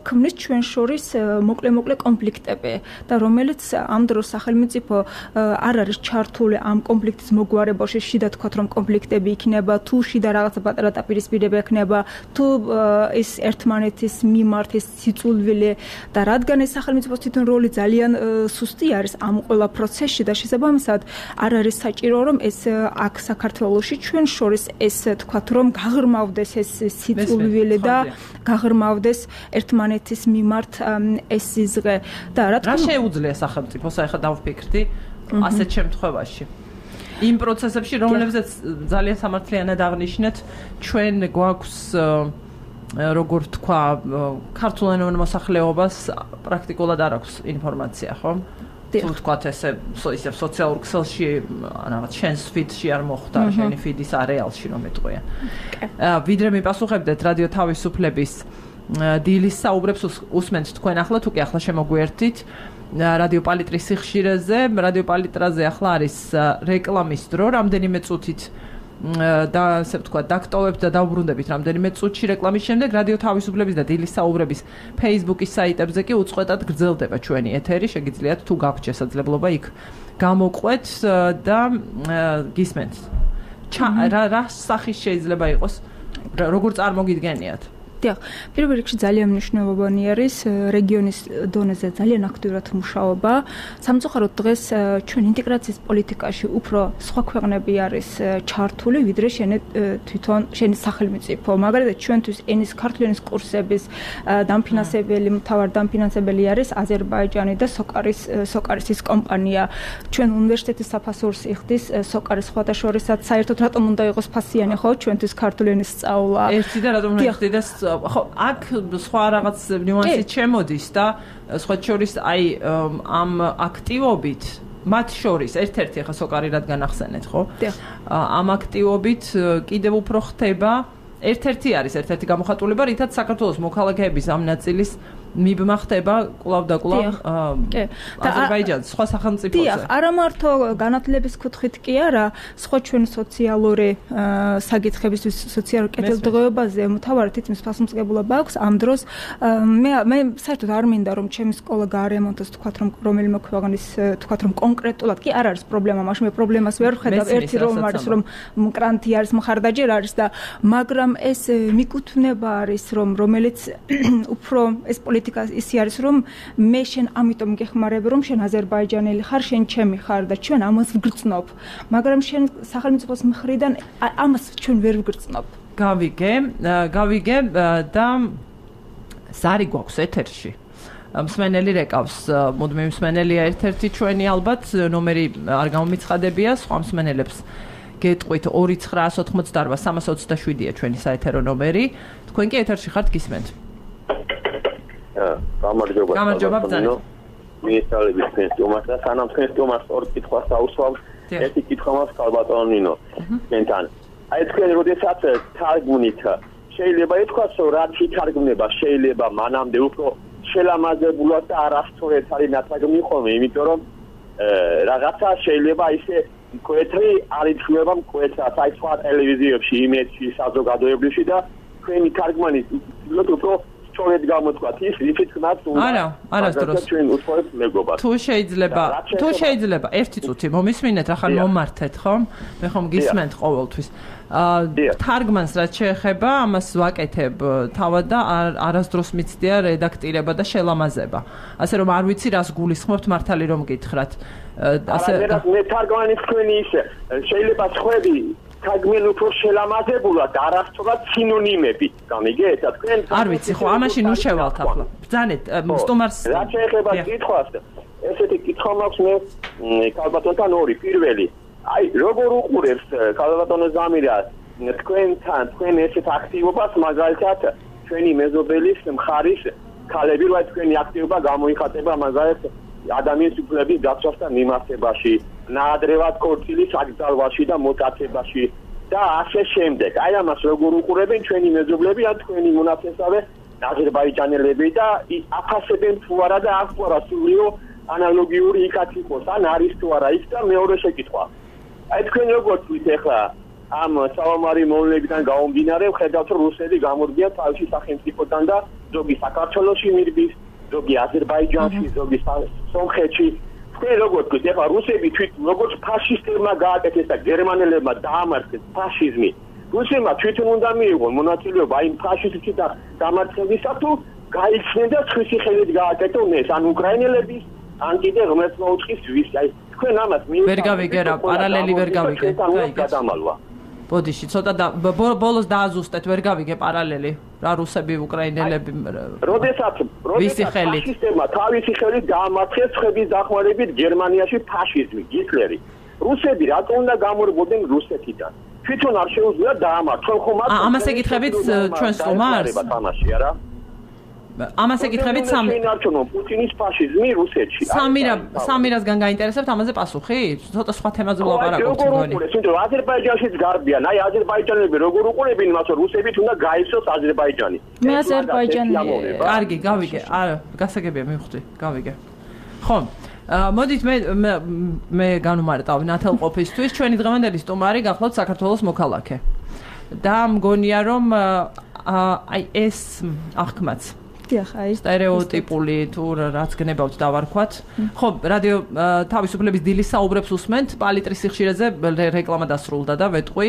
ქმნის ჩვენ შორის მოკლე კონფლიქტები და რომელიც ამ დროს სახელმწიფო არ არის ჩართული ამ კონფლიქტის მოგვარებაში, შიდა თქვათ რომ კონფლიქტები იქნება, თუ შიდა რაღაცა პატარა დაპირისპირება იქნება, თუ ეს ერთმანეთის მიმართ ეს სიწულვილი და რადგან ეს სახელმწიფოს თვითონ როლი ძალიან სუსტი არის ამ ყველა პროცესში და შესაბამისად არ არის საჭირო რომ ეს აქ საქართველოში ჩვენ შორის ეს თქვათ რომ გაღრმავდეს ეს სიწულვილი და გაღრმავდეს ერთმანეთის მიმართ ეს სიზღე და რა შეუძლია სახელმწიფოს ახლა დავფიქრდი ასეთ შემთხვევაში იმ პროცესებში რომლებზეც ძალიან სამართლიანად აღნიშნეთ ჩვენ გვაქვს როგორ თქვა ქართულენოვან მოსახლეობას პრაქტიკულად არ აქვს ინფორმაცია ხო თუ თქვათ ესე სოციალურ ქსელში რაღაც შენს ფიდში არ მოხვდა შენი ფიდის არეალში რომ ეტყვია ვიდრე მიპასუხებდეთ რადიო თავისუფლების დილის საუბრებს უსმენთ თქვენ ახლა თუ კი ახლა შემოგვიერთით რადიო პალიტრის სიხშირეზე რადიო პალიტრაზე ახლა არის რეკლამის დრო რამდენიმე წუთით და ასე ვთქვა დაქტოვებთ და დავბრუნდებით რამდენიმე წუთში რეკლამის შემდეგ რადიო თავისუფლების და დილის საუბრების Facebook-ის საიტებზე კი უწყვეტად გრძელდება ჩვენი ეთერი შეგიძლიათ თუ გაქვთ შესაძლებლობა იქ გამოყვეთ და გისმენთ რა სახის შეიძლება იყოს როგორ წარმოგიდგენიათ დიახ, პირველ რიგში ძალიან მნიშვნელოვანი არის რეგიონის დონეზე ძალიან აქტიურად მუშაობა. სამწუხაროდ დღეს ჩვენ ინტეგრაციის პოლიტიკაში უფრო სხვა ქვეყნები არის ჩართული, ვიდრე თვითონ შენი სახელმწიფო. მაგალითად, ჩვენთვის ენის ქართული ენის კურსების დამფინანსებელი, მთავარ დამფინანსებელი არის აზერბაიჯანი და სოკარის ის კომპანია. ჩვენ უნივერსიტეტის საფასურს იხდის სოკარის სხვადასხვასაც საერთოდ რატომ უნდა იყოს ფასიანი ხო ჩვენთვის ქართული ენის სწავლა. ერთი და რატომ უნდა იხდეს ხო აქ სხვა რაღაც ნიუანსი შემოდის და სხვა შორის აი ამ აქტივობით მათ შორის ერთ-ერთი ახლა სოკარი რადგან ახსენეთ ხო ამ აქტივობით კიდევ უფრო ხდება ერთ-ერთი გამოხატულება რითაც საქართველოს მოქალაქეების ამ ნაწილის მიბმა ხდება კვლავ და კვლავ აზერბაიჯანის სხვა სახელმწიფოზე. დიახ, არა მარტო განათლების კუთხით კი არა, სხვა ჩვენ სოციალური საკითხებისთვის, სოციალურ კეთილდღეობაზე მთავარი თითქმის ფასმოწყებულობა აქვს ამ დროს. მე საერთოდ არ მინდა რომ ჩემი სკოლა გაარემონტოს, თქვათ რომ რომელიმე ქვეყნის, თქვათ რომ კონკრეტულად კი არ არის პრობლემა, მაშინ მე პრობლემას ვერ ვხედავ, ერთი რომ არის რომ მკრანტი არის, მხარდაჭერა არის და მაგრამ ეს მიკუთვნება არის რომ რომელიც უფრო ეს ისი არის რომ მე შენ ამიტომ გეხმარებ რომ შენ აზერბაიჯანელი ხარ შენ ჩემი ხარ და ჩვენ ამას ვგრძნობ მაგრამ შენ სახელმწიფოს მხრიდან ამას ჩვენ ვერ ვგრძნობ გავიგე და ზარი გვაქვს ეთერში მსმენელი რეკავს მუდმივი მსმენელია ერთ-ერთი ჩვენი ალბათ ნომერი არ გამომიცხადებია სხვა მსმენელებს გეტყვით 2988327-ია ჩვენი საეთერო ნომერი თქვენ კი ეთერში ხართ გისმენთ გამარჯობა ბრძანეთ. მიესალმებით თქვენს თომას და სანამ თქვენს თომას ორ კითხვას დაუსვამ, ერთი კითხვა მაქვს ქალბატონ ნინო. თქვენთან. აი თქვენ როდესაც თარგმნით, შეიძლება ითქვას, რომ რაც ითარგმნება, შეიძლება მანამდე უფრო შელამაზებულად და არასწორად არის ნათარგმნი ხოლმე, იმიტომ რომ რაღაცა შეიძლება ისე მკვეთრი არ ითვლება მკვეთრად აი სხვა ტელევიზიებში, იმედში, საზოგადოებრივში და თქვენი თარგმანი ვთქვათ უფრო სწორედ გამოთქვათ ის რითიც ხმაც არა, არასდროს ჩვენ უთხოვებთ მეგობარს. თუ შეიძლება ერთი წუთი მომისმინეთ, ახლა მომართეთ, ხო? მე ხომ გისმენთ ყოველთვის. თარგმანს რაც შეეხება, ამას ვაკეთებ თავად და არასდროს მიცდია რედაქტირება და შელამაზება. ასე რომ არ ვიცი რას გულისხმობთ მართალი რომ გითხრათ. ასე მე თარგმანი თქვენი ისე შეიძლება სხვები თარგმენ უფრო შელამაზებულად არასწორად სინონიმები გამიგეთ თქვენ არ ვიცი ხო ამაში ნუ შევალთ ახლა ბრძანეთ სტუმარს რაც შეეხება კითხვას ესეთი კითხვა მაქვს მე ქალბატონთან ორი პირველი აი როგორ უყურებს ქალბატონო ზამირა თქვენ ესეთ აქტივობას მაგალითად ჩვენი მეზობელის მხარის ქალები რა თქვენი აქტივობა გამოიხატება მაგალითად ადამიანის უფლების დაცვასთან მიმართებაში ნაადრევად ქორწილის აკრძალვაში და მოტაცებაში და ასე შემდეგ. აი ამას როგორ უყურებენ ჩვენი მეზობლები ან თქვენი მონაცემსავე აზერბაიჯანელები და აფასებენ თუ არა და აქ თუ არა სულიო ანალოგიური იქაც იყოს ან არის თუ არა იქ და მეორე შეკითხვა. აი თქვენ როგორ თქვით ახლა ამ საომარი მოვლენებიდან გამომდინარე ხედავთ რომ რუსები გამორგიან თავისი სახელმწიფოდან და ზოგი საქართველოში მირბის ზოგი აზერბაიჯანში, ზოგი სომხეთში. თქვენ როგორ თქვით, ეხლა რუსები თვითონ როგორც ფაშისტებმა გააკეთეს და გერმანელებმა დაამარცხეს ფაშიზმი. რუსებმა თვითონ უნდა მიიღონ მონაწილეობა იმ ფაშისტში და დამარცხებისა თუ გაიხსნენ და სხვისი ხელით გააკეთონ ეს ან უკრაინელების ან კიდე ღმერთს მოუწყის ვის. აი თქვენ ამას ვერ გავიგე რა, პარალელი ვერ გავიგე. გადამალვა. ბოდიში, ცოტა ბოლოს დააზუსტეთ, ვერ გავიგე პარალელი. რა რუსები, უკრაინელები. როდესაც ფაშისტებმა თავისი ხელით გაამარცხეს ცხების დახმარებით გერმანიაში ფაშიზმი, ჰიტლერი. რუსები რატო უნდა გამორბოდნენ რუსეთიდან? თვითონ არ შეუძლია დაამარცხონ ხომ მათ. ამას ეკითხებით ჩვენ სტუმარს? თამაში არა? ამას ეკითხებით პუტინის ფაშიზმი რუსეთში. სამირასგან გაინტერესებთ ამაზე პასუხი? ცოტა სხვა თემაზე ვლაპარაკობთ მგონი. აზერბაიჯანშიც გარბიან. აი აზერბაიჯანელები როგორ უყურებენ იმას რომ რუსებით უნდა გაიცოს აზერბაიჯანი. მე აზერბაიჯანელი. კარგი, გავიგე. არა, გასაგებია მივხვდი, გავიგე. ხო. მოდით მე განვმარტავ ნათელყოფისთვის ჩვენი დღევანდელი სტუმარი გახლავთ საქართველოს მოქალაქე. და მგონია რომ აი ეს აღქმაც სტერეოტიპული თუ რაც გნებავთ დავარქვათ. ხო, რადიო თავისუფლების დილის საუბრებს უსმენთ, პალიტრის სიხშირეზე რეკლამა დასრულდა და ვეტყვი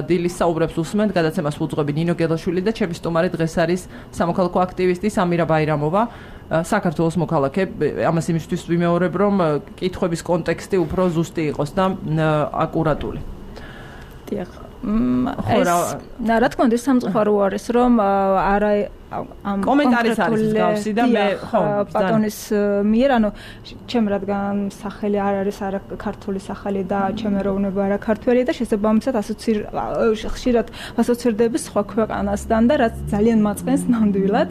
დილის საუბრებს უსმენთ, გადაცემას უძღვები ნინო გელაშვილი და ჩემი სტუმარი დღეს არის სამოქალაქო აქტივისტი სამირა ბაირამოვა, საქართველოს მოქალაქე. ამას იმისთვის ვიმეორებ, რომ კითხვების კონტექსტი უფრო ზუსტი იყოს და აკურატული. დიახ. რა თქმა უნდა სამწუხარო არის რომ არა ამ კომენტარის არის მსგავსი და მე ხო პატონის მიერ ანუ ჩემ რადგან სახელი არ არის არა ქართული სახელი და ჩემი ეროვნება არა ქართველი და შესაბამისად ხშირად ასოცირდები სხვა ქვეყანასთან და რაც ძალიან მაწყენს ნამდვილად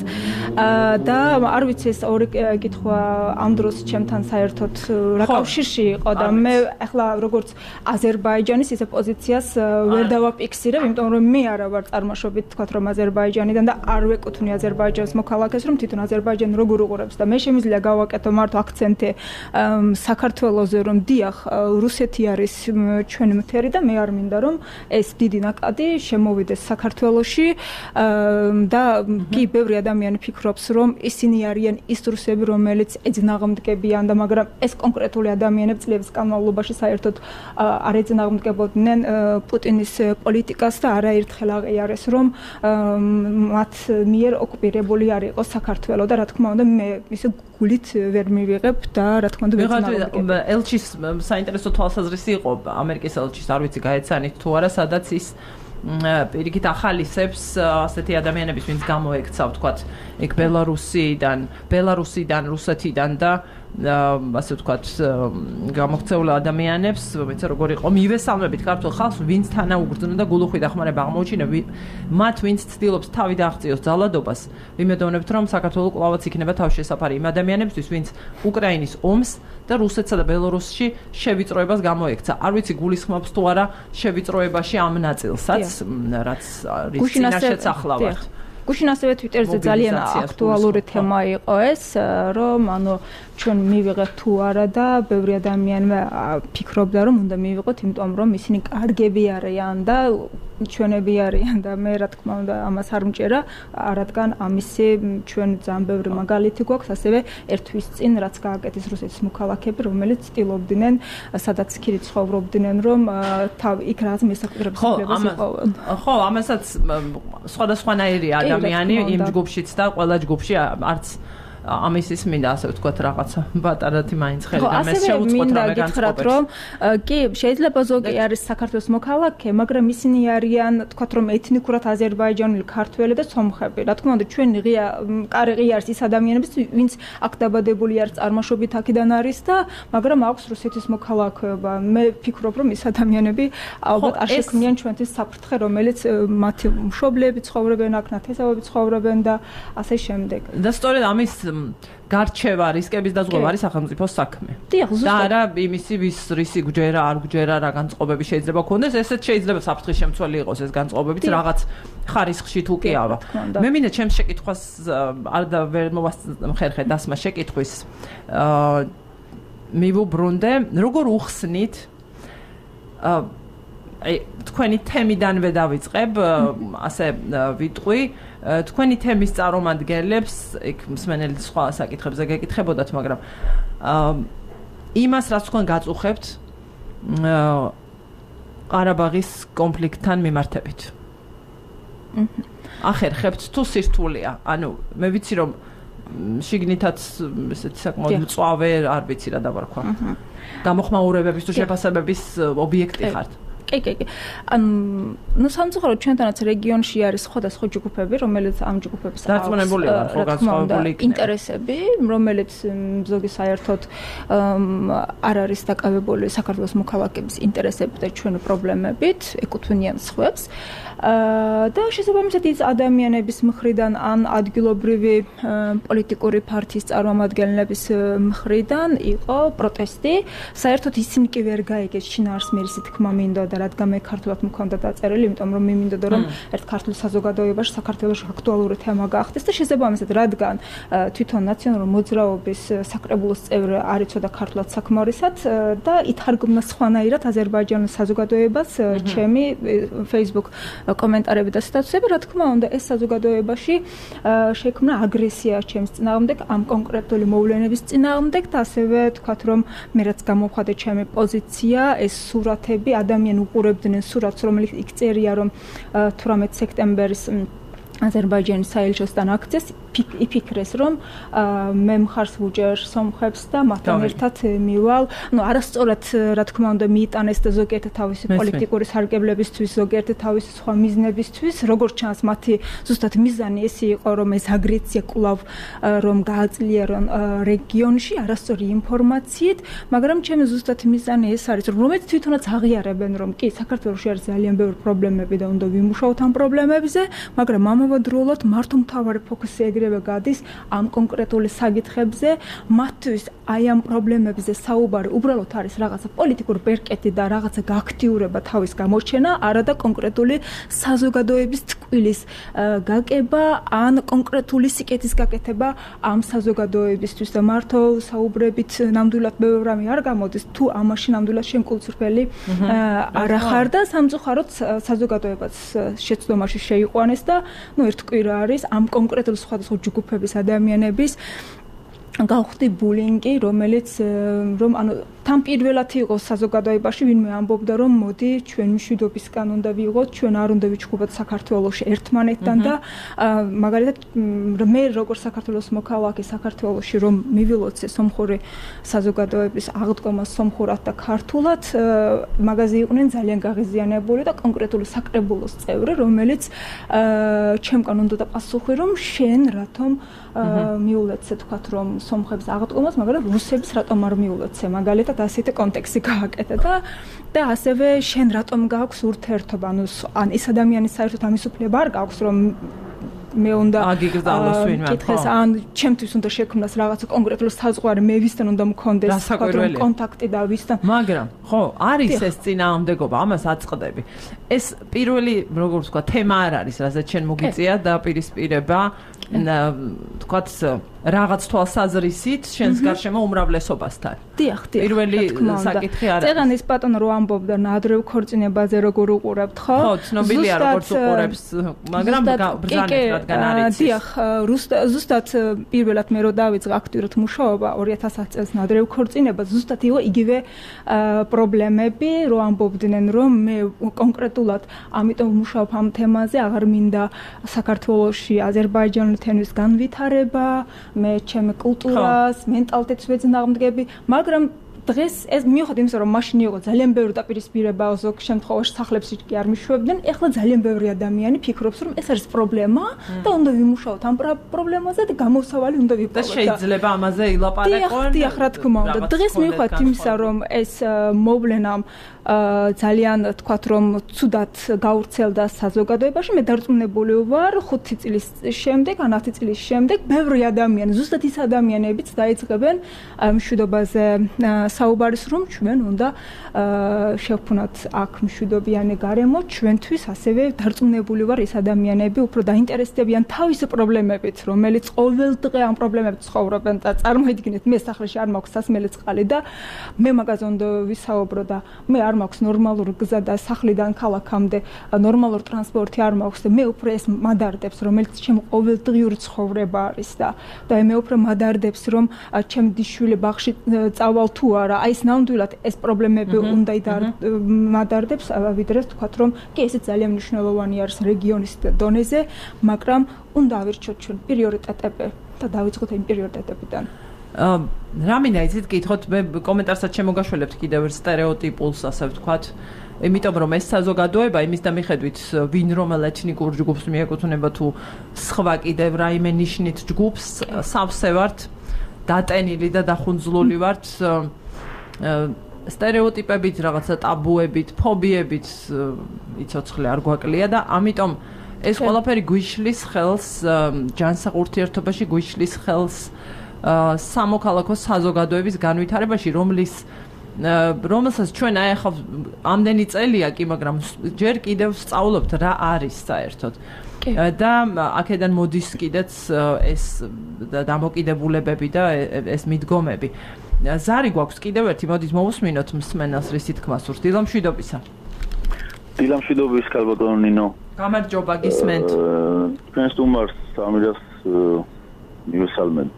და არ ვიცი ეს ორი კითხვა ამ დროს ჩემთან საერთოდ რა კავშირში იყო და მე ახლა როგორც აზერბაიჯანის ისე პოზიციას ვერ დავაფიქსირებ იმიტომ რომ მე არა ვარ წარმოშობით თქვა რომ აზერბაიჯანიდან და არ ვეკუთვნი აზერბაიჯანის მოქალაქეს რომ თვითონ აზერბაიჯანი როგორ უყურებს და მე შემიძლია გავაკეთო მარტო აქცენტი საქართველოზე რომ დიახ რუსეთი არის ჩვენი მთერი და მე არ მინდა რომ ეს დიდი ნაკადი შემოვიდეს საქართველოში და კი ბევრი ადამიანი ფიქრობს რომ ისინი არიან ის რუსები რომელიც ეძნაღმდგებიან და მაგრამ ეს კონკრეტული ადამიანები წლების განმავლობაში საერთოდ არ ეძნაღმდგებოდნენ პუტინის პოლიტიკას და არაერთხელ აღიარეს რომ მათ მიერ ოკუპირებული არ იყო საქართველო და რა თქმა უნდა მე ისე გულით ვერ მივიღებ და რა თქმა უნდა ვეცნობა ელჩის საინტერესო თვალსაზრისი იყო ამერიკის ელჩის არ ვიცი გაეცანით თუ არა სადაც ის პირიქით ახალისებს ასეთი ადამიანების ვინც გამოექცა ვთქვათ იქ ბელარუსიდან რუსეთიდან და ასე ვთქვათ გამოქცეულ ადამიანებს ვინც როგორ იყო მივესალმებით ქართულ ხალხს ვინც თანაუგრძნო და გულუხვი დახმარება აღმოუჩინა მათ ვინც ცდილობს თავი დააღწიოს ძალადობას ვიმედოვნებთ რომ საქართველოს კვლავაც იქნება თავშესაფარი იმ ადამიანებისთვის ვინც უკრაინის ომს და რუსეთსა და ბელარუსში შევიწროებას გამოექცა არ ვიცი გულისხმობს თუ არა შევიწროებაში ამ ნაწილსაც რაც არის წინაშეც ახლავართ გუშინ ასევე Twitter-ზე ძალიან აქტუალური თემა იყო ეს, რომ ჩვენ მივიღეთ თუ არა და ბევრი ადამიანი ფიქრობდა რომ უნდა მივიღოთ, იმიტომ რომ ისინი კარგები არიან და ჩვენები არიან და მე რა თქმა უნდა ამას არ მჭერა, რადგან ამისი ჩვენ ძალიან ბევრი მაგალითი გვაქვს, ასევე ერთ თვის წინ რაც გააკეთეს რუსეთის მოქალაქეები, რომელიც ცდილობდნენ, სადაც იქ ცხოვრობდნენ, რომ იქ რაღაც მესაკუთრების უფლებას იპოვონ. ხო, ამასაც სხვადასხვანაირი ადამიანი იმ ჯგუფშიც და ყველა ჯგუფში არც ამისის მინდა ასე ვთქვათ რაღაცა ბატარათი მაინც ხელი და მე შეუწყოთ რამე განწყობებს. რომ კი შეიძლება ზოგი არის საქართველოს მოქალაქე, მაგრამ ისინი არიან თქვათ რომ ეთნიკურად აზერბაიჯანული ქართველი და სომხები. რა თქმა უნდა ჩვენ ღია არის ის ადამიანები, ვინც აქ დაბადებული არის, წარმოშობით აქედან არის და მაგრამ აქვს რუსეთის მოქალაქეობა. მე ვფიქრობ რომ ის ადამიანები ალბათ არ შექმნიან ჩვენთვის საფრთხე, რომელიც მათი მშობლები ცხოვრობენ აქ, ნათესავები ცხოვრობენ და ასე შემდეგ. და სწორედ ამის გარჩევა რისკების დაზღვევა არის სახელმწიფოს საქმე. და არა იმისი რისი გვჯერა, არ გვჯერა, რა განწყობები შეიძლება ქონდეს, ესეც შეიძლება საფრთხის შემცველი იყოს ეს განწყობებიც რაღაც ხარისხში თუ კი არა. მე მინდა ჩემს შეკითხვას არ და ვერ მოვახერხე დასმა შეკითხვის. მივუბრუნდე, როგორ უხსნით თქვენი თემიდანვე დავიწყებ, ასე ვიტყვი, თქვენი თემის წარმომადგენლებს, იქ მსმენელი სხვა საკითხებზე გეკითხებოდათ, მაგრამ იმას, რაც თქვენ გაწუხებთ ყარაბაღის კონფლიქტთან მიმართებით. ახერხებთ თუ სირთულეა? ანუ მე ვიცი რომ შიგნითაც ესეთი საკმაოდ მწვავე, არ ვიცი რა დავარქვა. გამოხმაურებების თუ შეფასებების ობიექტი ხართ. კი. ანუ სამწუხაროდ ჩვენთანაც რეგიონში არის სხვადასხვა ჯგუფები, რომელიც ამ ჯგუფების დარწმუნებული ვარ, ხო განსხვავებული ინტერესები, რომელიც ზოგი საერთოდ არ არის დაკავებული საქართველოს მოქალაქეების ინტერესებით და ჩვენი პრობლემებით, ეკუთვნიან სხვებს. და შესაბამისად ის ადამიანების მხრიდან ან ადგილობრივი პოლიტიკური პარტიის წარმომადგენლების მხრიდან იყო პროტესტი. საერთოდ ისინი კი ვერ გაიგეს შინაარსმიერისი თქმა მინდოდა, რადგან მე ქართულად მქონდა დაწერილი, იმიტომ რომ მე მინდოდა რომ ერთ ქართულ საზოგადოებაში საქართველოში აქტუალური თემა გახდეს და შესაბამისად რადგან თვითონ ნაციონალური მოძრაობის საკრებულოს წევრი არ იცოდა ქართულად საკმარისად და ითარგმნა სხვანაირად აზერბაიჯანის საზოგადოებას ჩემი Facebook კომენტარები და სტატუსები, რა თქმა უნდა, ეს საზოგადოებაში შექმნა აგრესია ჩემს წინააღმდეგ, ამ კონკრეტული მოვლენების წინააღმდეგ და ასევე თქვათ რომ მე რაც გამოვხადე ჩემი პოზიცია, ეს სურათები, ადამიანი უყურებდნენ სურათს, რომელიც იქ წერია რომ 18 სექტემბერის აზერბაიჯანის საელჩოსთან აქციას იფიქრეს რომ მე მხარს ვუჭერ სომხებს და მათთან ერთად მივალ, არასწორად რა თქმა უნდა მიიტანეს და ზოგიერთი თავისი პოლიტიკური სარგებლებისთვის, ზოგიერთი თავისი სხვა მიზნებისთვის, როგორც ჩანს მათი ზუსტად მიზანი ეს იყო რომ ეს აგრესია კვლავ რომ გააძლიერონ რეგიონში არასწორი ინფორმაციით, მაგრამ ჩემი ზუსტად მიზანი ეს არის რომ რომეც თვითონაც აღიარებენ რომ კი საქართველოში არის ძალიან ბევრი პრობლემები და უნდა ვიმუშაოთ ამ პრობლემებზე, მაგრამ ამავდროულად მართლმთავარი ფოკუსი ეგრევე გადის ამ კონკრეტული საკითხებზე, მათთვის აი ამ პრობლემებზე საუბარი უბრალოდ არის რაღაცა პოლიტიკური პერკეტი და რაღაცა გააქტიურება თავის გამოჩენა, არადა კონკრეტული საზოგადოების ტკვილის გაკება ან კონკრეტული სიკეთის გაკეთება ამ საზოგადოებისთვის და მართო საუბრებით ნამდვილად ბევრი რამე არ გამოდის, თუ ამაში ნამდვილად შემკულწრფელი არ ახარ და სამწუხაროდ საზოგადოებას შეცდომაში შეიყვანეს და ერთ კვირა არის ამ კონკრეტულ სხვადასხვა ჯგუფების ადამიანების გავხდი ბულინგი, რომელიც რომ თან პირველად იყო საზოგადოებაში, ვინმე ამბობდა რომ მოდი ჩვენ მშვიდობისგან უნდა ვიღოთ, ჩვენ არ უნდა ვიჩხუბოთ საქართველოში ერთმანეთთან და მაგალითად მე როგორც საქართველოს მოქალაქე საქართველოში რომ მივილოცე სომხური საზოგადოების აღდგომა სომხურად და ქართულად, მაგაზე იყვნენ ძალიან გაღიზიანებული და კონკრეტული საკრებულოს წევრი, რომელიც ჩემკან უნდა დაპასუხი რომ შენ რათომ მიულოცე თქვათ რომ სომხებს აღდგომას, მაგრამ რუსებს რატომ არ მიულოცე, მაგალითად ასეთი კონტექსტი გააკეთა და ასევე შენ რატომ გაქვს ურთიერთობა, ან ის ადამიანის საერთოდ ამის უფლება არ გაქვს რომ მე უნდა აგიგზავნოს ვინმე კითხეს ან ჩემთვის უნდა შექმნას რაღაცა კონკრეტული საზღვარი მე ვისთან უნდა მქონდეს კონტაქტი და ვისთან მაგრამ ხო არის ეს წინააღმდეგობა ამას აწყდები ეს პირველი როგორ ვთქვა თემა არ არის რაზეც შენ მოგიწია და პირისპირება თქვათ რაღაც თვალსაზრისით შენს გარშემო უმრავლესობასთან. დიახ. პირველი საკითხი არის. წეგანის ბატონო რო ამბობდა ნადრევ ქორწინებაზე როგორ უყურებთ, ხო? ხო, ცნობილია როგორც უყურებს, მაგრამ ბრძანეთ რადგან არის. დიახ, ზუსტად პირველად მე რო დავიწყე აქტიურად მუშაობა 2010 წელს ნადრევ ქორწინება, ზუსტად იყო იგივე პრობლემები, რო ამბობდნენ, რომ მე კონკრეტულად ამიტომ ვმუშაობ ამ თემაზე, აღარ მინდა საქართველოში აზერბაიჯანელთენთვის განვითარება მე ჩემ კულტურას, მენტალიტეტს ვეძნაღმდგები, მაგრამ დღეს ეს მიუხედავად იმისა, რომ მაშინ იყო ძალიან ბევრი დაპირისპირება ზოგ შემთხვევაში სახლებში კი არ მიშვებდნენ, ეხლა ძალიან ბევრი ადამიანი ფიქრობს, რომ ეს არის პრობლემა და უნდა ვიმუშაოთ ამ პრობლემაზე და გამოსავალი უნდა ვიპოვოთ. და შეიძლება ამაზე ილაპარაკონ. დიახ, რა თქმა უნდა. დღეს მიუხედავად იმისა, რომ ეს მოვლენა ძალიან თქვათ რომ ცუდად გავრცელდა საზოგადოებაში, მე დარწმუნებული ვარ 5 წლის შემდეგ, ან 10 წლის შემდეგ ბევრი ადამიანი, ზუსტად ის ადამიანებიც დაიწყებენ მშვიდობაზე საუბარის რომ ჩვენ უნდა შევქმნათ აქ მშვიდობიანი გარემო, ჩვენთვის ასევე დარწმუნებული ვარ ის ადამიანები უფრო დაინტერესდებიან თავისი პრობლემებით, რომელიც ყოველდღე ამ პრობლემებით ცხოვრობენ და წარმოიდგინეთ მე სახლში არ მაქვს სასმელი წყალი და მე მაგაზე უნდა ვისაუბრო და მე არ მაქვს ნორმალური გზა და სახლიდან ქალაქამდე ნორმალური ტრანსპორტი არ მაქვს და მე უფრო ეს მადარდებს რომელიც ჩემ ყოველდღიური ცხოვრება არის და მე უფრო მადარდებს რომ ჩემ დიშვილი ბაღში წავალ თუ არა აი ეს ნამდვილად ეს პრობლემები უნდა მადარდებს ვიდრე თქვათ რომ კი ეს ძალიან მნიშვნელოვანი არის რეგიონის დონეზე მაგრამ უნდა ავირჩიოთ ჩვენ პრიორიტეტები და დავიწყოთ იმ პრიორიტეტებიდან რამინდა იცით გითხოთ მე კომენტარსაც შემოგაშველებთ კიდევ სტერეოტიპულს ასე ვთქვათ იმიტომ რომ ეს საზოგადოება იმის და მიხედვით ვინ რომელ ეთნიკურ ჯგუფს მიეკუთვნება თუ სხვა კიდევ რაიმე ნიშნით ჯგუფს სავსე ვართ დატენილი და დახუნძლული ვართ სტერეოტიპებით რაღაცა ტაბუებით ფობიებით იცოცხლე არ გვაკლია და ამიტომ ეს ყველაფერი გვიშლის ხელს ჯანსაღ ურთიერთობაში გვიშლის ხელს სამოქალაქო საზოგადოების განვითარებაში რომელსაც ჩვენ აი ახლა ამდენი წელია კი მაგრამ ჯერ კიდევ სწავლობთ რა არის საერთოდ და აქედან მოდის კიდეც ეს დამოკიდებულებები და ეს მიდგომები ზარი გვაქვს კიდევ ერთი მოდით მოვუსმინოთ მსმენელს რისი თქმა სურს დილამშვიდობისა დილამშვიდობის ქალბატონო ნინო გამარჯობა გისმენთ თქვენ სტუმარს ამირას მივესალმებ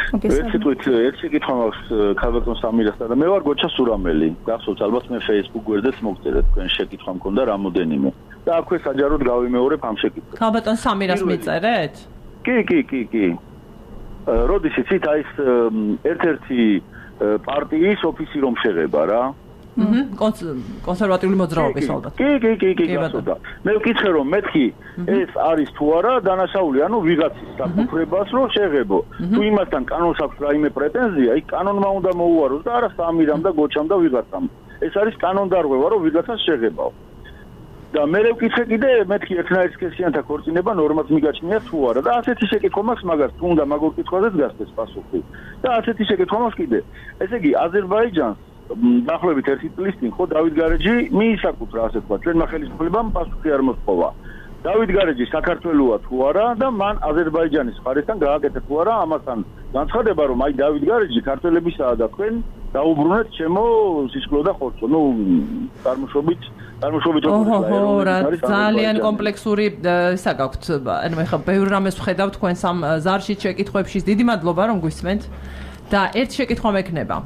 ერთი კითხვა მაქვს ქალბატონ სამირასთან და მე ვარ გოჩა სურამელი გახსოვთ ალბათ მე Facebook გვერდეც მოგწერეთ თქვენ შეკითხვა მქონდა რამოდენიმე და აქვე საჯაროდ გავიმეორებ ამ შეკითხვას ქალბატონ სამირას მიწერეთ კი როდის იცით აი ეს ერთ-ერთი პარტიის ოფისი რომ შეღება რა კონსერვატიული მოძრაობის ალბათ. კი, გასწორდა. მე ვკითხე რომ მეთქი ეს არის თუ არა დანაშაული, ანუ ვიღაცის საფუძვლებას რომ შეღებო. თუ იმასთან კანონს აქვს რაიმე პრეტენზია, იქ კანონმა უნდა მოუაროს და არა სამირამ და გოჩამ და ვიღაცამ. ეს არის კანონდარღვევა რომ ვიღაცას შეღებაო. და მე ვკითხე კიდე მეთქი ერთნაირსკესიანთა ქორწინება ნორმად მიგაჩნია თუ არა და ასეთი შეკითხვა მაქვს მაგას თუ უნდა მაგურ კითხვაზეც გასცეს პასუხი. და ასეთი შეკითხვა მაქვს კიდე. ესე იგი აზერბაიჯანს დაახლოებით 1 წლის წინ ხო დავით გარეჯი მიისაკუთრა ასე თქვა ჩვენმა ხელისუფლებამ პასუხი არ მოსპოვა დავით გარეჯი საქართველოა თუ არა და მან აზერბაიჯანის მხარესთან გააკეთა თუ არა ამასთან განცხადება რომ აი დავით გარეჯი ქართველებისაა და თქვენ დაუბრუნეთ ჩემო სისხლო და ხორცო ნუ წარმოშობით ძალიან კომპლექსური ისა გაქვთ ანუ ეხლა ბევრ რამეს ვხედავ თქვენ სამ ზარში შეკითხვებში დიდი მადლობა რომ გვისმენთ და ერთ შეკითხვა მექნება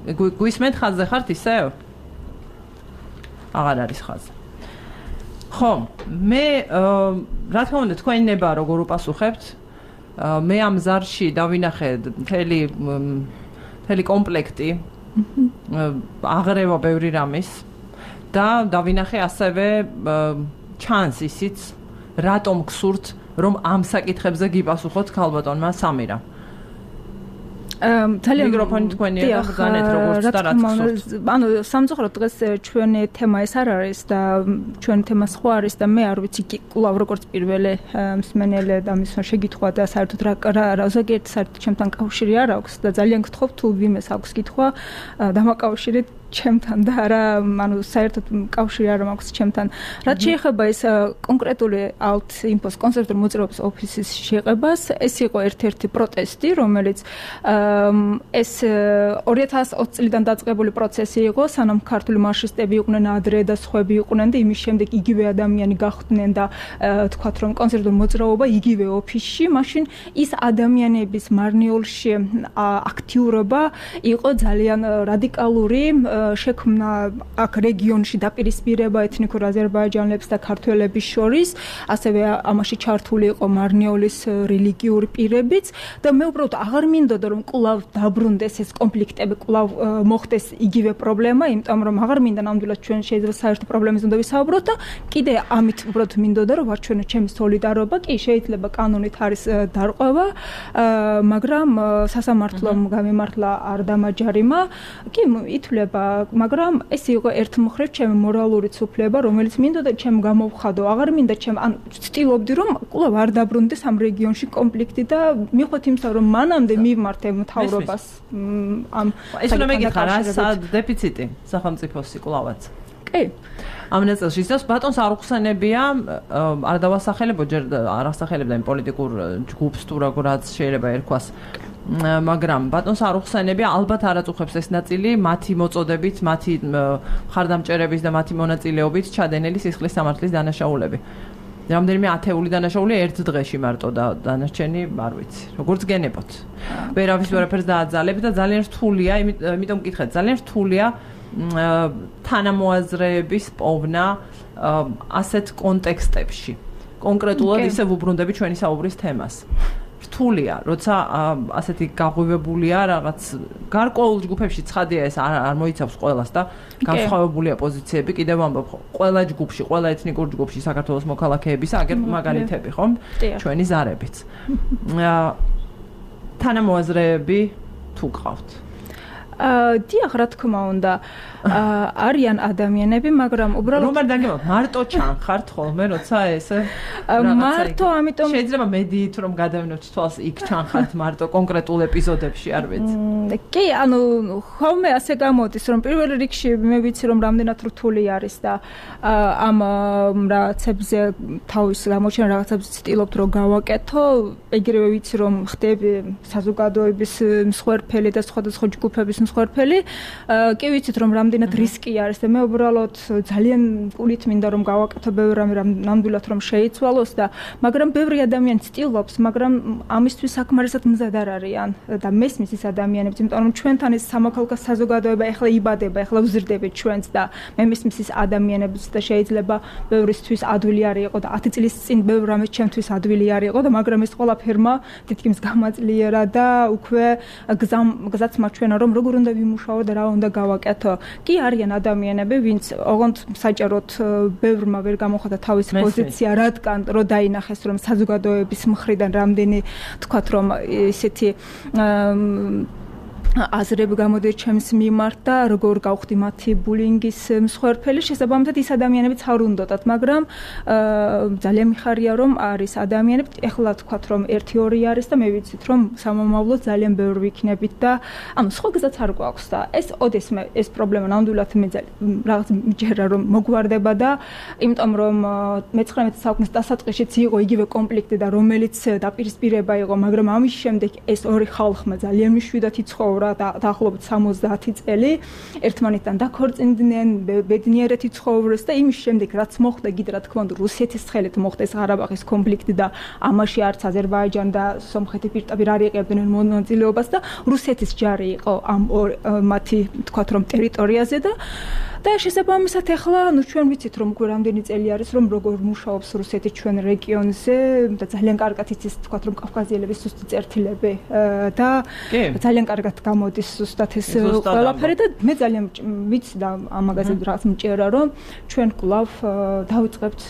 გვისმენთ ხაზზე ხართ ისევ? აღარ არის ხაზზე. ხო, მე რა თქმა უნდა თქვენი ნება როგორ უპასუხებთ? მე ამ ზარში დავინახე მთელი კომპლექტი აღრევა ბევრი რამის და დავინახე ასევე ჩანს ისიც რატომ გსურთ რომ ამ საკითხებზე გიპასუხოთ ქალბატონმა სამირა. ძალიან მიკროფონი თქვენია და ბრძანეთ როგორც და რაც გსურთ. ანუ სამწუხაროდ დღეს ჩვენი თემა ეს არ არის და ჩვენი თემა სხვა არის და მე არ ვიცი კვლავ როგორც პირველი მსმენელი და მის შეგითხვა და საერთოდ რა ზოგიერთ საერთოდ ჩემთან კავშირი არ აქვს და ძალიან გთხოვ თუ ვიმეს აქვს კითხვა დამაკავშირეთ ჩემთან და არა ანუ საერთოდ კავშირი არ მაქვს ჩემთან. რაც შეეხება ეს კონკრეტული ალტ-ინფოს კონსერვატორ მოძრაობის ოფისის შეყებას, ეს იყო ერთ-ერთი პროტესტი, რომელიც ეს 2020 წლიდან დაწყებული პროცესი იყო, სანამ ქართული მარქსისტები იყვნენ ადრე და სხვები იყვნენ და იმის შემდეგ იგივე ადამიანი გახდნენ და თქვათ რომ კონსერვატორ მოძრაობა იგივე ოფისში, მაშინ ის ადამიანების მარნიოლში აქტიურობა იყო ძალიან რადიკალური შექმნა აქ რეგიონში დაპირისპირება ეთნიკურ აზერბაიჯანელებს და ქართველების შორის, ასევე ამაში ჩართული იყო მარნიოლის რელიგიური პირებიც და მე უბრალოდ აღარ მინდოდა რომ კვლავ დაბრუნდეს ეს კონფლიქტები, კვლავ მოხდეს იგივე პრობლემა, იმიტომ რომ აღარ მინდა ნამდვილად ჩვენ შეიძლება საერთო პრობლემაზე უნდა ვისაუბროთ და კიდე ამით უბრალოდ მინდოდა რომ ვაჩვენო ჩემი სოლიდარობა, კი შეიძლება კანონით არის დარღვევა, მაგრამ სასამართლომ გამემართლა არ დამაჯერიმა, კი ითვლება მაგრამ ეს იყო ერთ მხრივ ჩემი მორალური ცვლილება, რომელიც მინდოდა ჩემ გამოვხადო. აღარ მინდა ჩემ ან ვცდილობდი რომ კვლავ არ დაბრუნდეს ამ რეგიონში კონფლიქტი და მიხვდეთ იმისა რომ მანამდე მივმართე მთავრობას ამ ეს უნდა მეკითხა რა დეფიციტი სახელმწიფოსი კვლავაც. კი. ამ ნაწილში ისევ ბატონს არ უხსენებია არ დავასახელებო ჯერ არ ასახელებდა იმ პოლიტიკურ ჯგუფს თუ რაღაც შეიძლება ერქვას მაგრამ ბატონს არ უხსენებია ალბათ არ აწუხებს ეს ნაწილი მათი მოწოდებით, მათი მხარდამჭერების და მათი მონაწილეობით ჩადენილი სისხლის სამართლის დანაშაულები. რამდენიმე ათეული დანაშაული ერთ დღეში მარტო და დანარჩენი არ ვიცი. როგორც გენებოთ. ვერავის ვერაფერს დააძალებ და ძალიან რთულია, იმიტომ მკითხეთ, ძალიან რთულია თანამოაზრეების პოვნა ასეთ კონტექსტებში. კონკრეტულად ისე ვუბრუნდები ჩვენი საუბრის თემას. რთულია, როცა ასეთი გაღვივებულია რაღაც გარკვეულ ჯგუფებში ცხადია ეს არ მოიცავს ყველას და განსხვავებულია პოზიციები, კიდევ ამბობ, ყველა ჯგუფში, ყველა ეთნიკურ ჯგუფში საქართველოს მოქალაქეების აგერ მაგალითები, ხომ? ჩვენი ზარებიც. თანამოაზრეები თუ გყავთ? დიახ, რა თქმა უნდა, არიან ადამიანები, მაგრამ უბრალოდ რომ არ დაგემოთ, მარტო ჩანხართ ხოლმე, როცა ესე მარტო, ამიტომ შეიძლება მედიით რომ გადავინოთ თვალს იქ ჩანხართ მარტო კონკრეტულ ეპიზოდებში, არ ვიცი. კი, ანუ ხოლმე ასე გამოდის, რომ პირველ რიგში მე ვიცი რომ რამდენად რთული არის და ამ რაღაცებზე თავის გამოჩენ რაღაცებს ვცდილობთ რომ გავაკეთო, ეგრევე ვიცი რომ ხდები საზოგადოების მსხვერპელი და სხვადასხვა ჯგუფების მსხვერპელი, კი ვიცით რომ რამდენად რისკი არის და მე უბრალოდ ძალიან გულით მინდა რომ გავაკეთო ბევრ რამე ნამდვილად რომ შეიცვალოს და მაგრამ ბევრი ადამიანი ცდილობს, მაგრამ ამისთვის საკმარისად მზად არ არიან და მესმის ის ადამიანებს, იმიტომ რომ ჩვენთან ეს სამოქალაქო საზოგადოება ეხლა იბადება, ეხლა ვზრდებით ჩვენც და მე მესმის ის ადამიანებს და შეიძლება ბევრისთვის ადვილი არ იყო და 10 წლის წინ ბევრ რამეს ჩემთვის ადვილი არ იყო და მაგრამ ეს ყველაფერმა თითქმის გამაძლიერა და უკვე გზაც მაჩვენა რომ როგორ უნდა ვიმუშაო და რა უნდა გავაკეთო. კი არიან ადამიანები, ვინც ოღონდ საჭაროდ ბევრმა ვერ გამოხატა თავის პოზიცია, რადგან რო დაინახეს რომ საზოგადოების მხრიდან რამდენი თქვათ რომ ისეთი აზრები გამოდიოდა ჩემს მიმართ და როგორ გავხდი მათი ბულინგის მსხვერპელი, შესაბამისად ის ადამიანებიც არ უნდათ, მაგრამ ძალიან მიხარია რომ არის ადამიანები, ეხლა თქვათ რომ 1-2 არის და მე ვიცით რომ სამომავლოდ ძალიან ბევრი ვიქნებით და ანუ სხვა გზაც არ გვაქვს და ეს ოდესმე ეს პრობლემა ნამდვილად მე რაღაც მიჯერა რომ მოგვარდება და იმიტომ რომ მე-19 საუკუნის დასაწყისშიც იყო იგივე კონფლიქტი და რომელიც დაპირისპირება იყო, მაგრამ ამის შემდეგ ეს ორი ხალხმა ძალიან მშვიდად იცხოვა და დაახლოებით 70 წელი ერთმანეთთან დაქორწინდნენ, ბედნიერად იცხოვრეს და იმის შემდეგ რაც მოხდა, კიდე რა თქმა უნდა რუსეთის ხელით მოხდა ეს ღარაბაღის კონფლიქტი და ამაში არც აზერბაიჯანი და სომხეთი პირდაპირ არ იღებდნენ მონაწილეობას და რუსეთის ჯარი იყო ამ მათი თქვათ რომ ტერიტორიაზე და შესაბამისად ახლა ნუ ჩვენ ვიცით რომ უკვე რამდენი წელი არის რომ როგორ მუშაობს რუსეთი ჩვენ რეგიონზე და ძალიან კარგად იცის თქვათ რომ კავკაზიელების ზუსტი წერტილები და ძალიან კარგად გამოდის ზუსტად ეს ყველაფერი და მე ძალიან ვიცი და ამაგაზე რაღაც მჭირა რომ ჩვენ კვლავ დავიწყებთ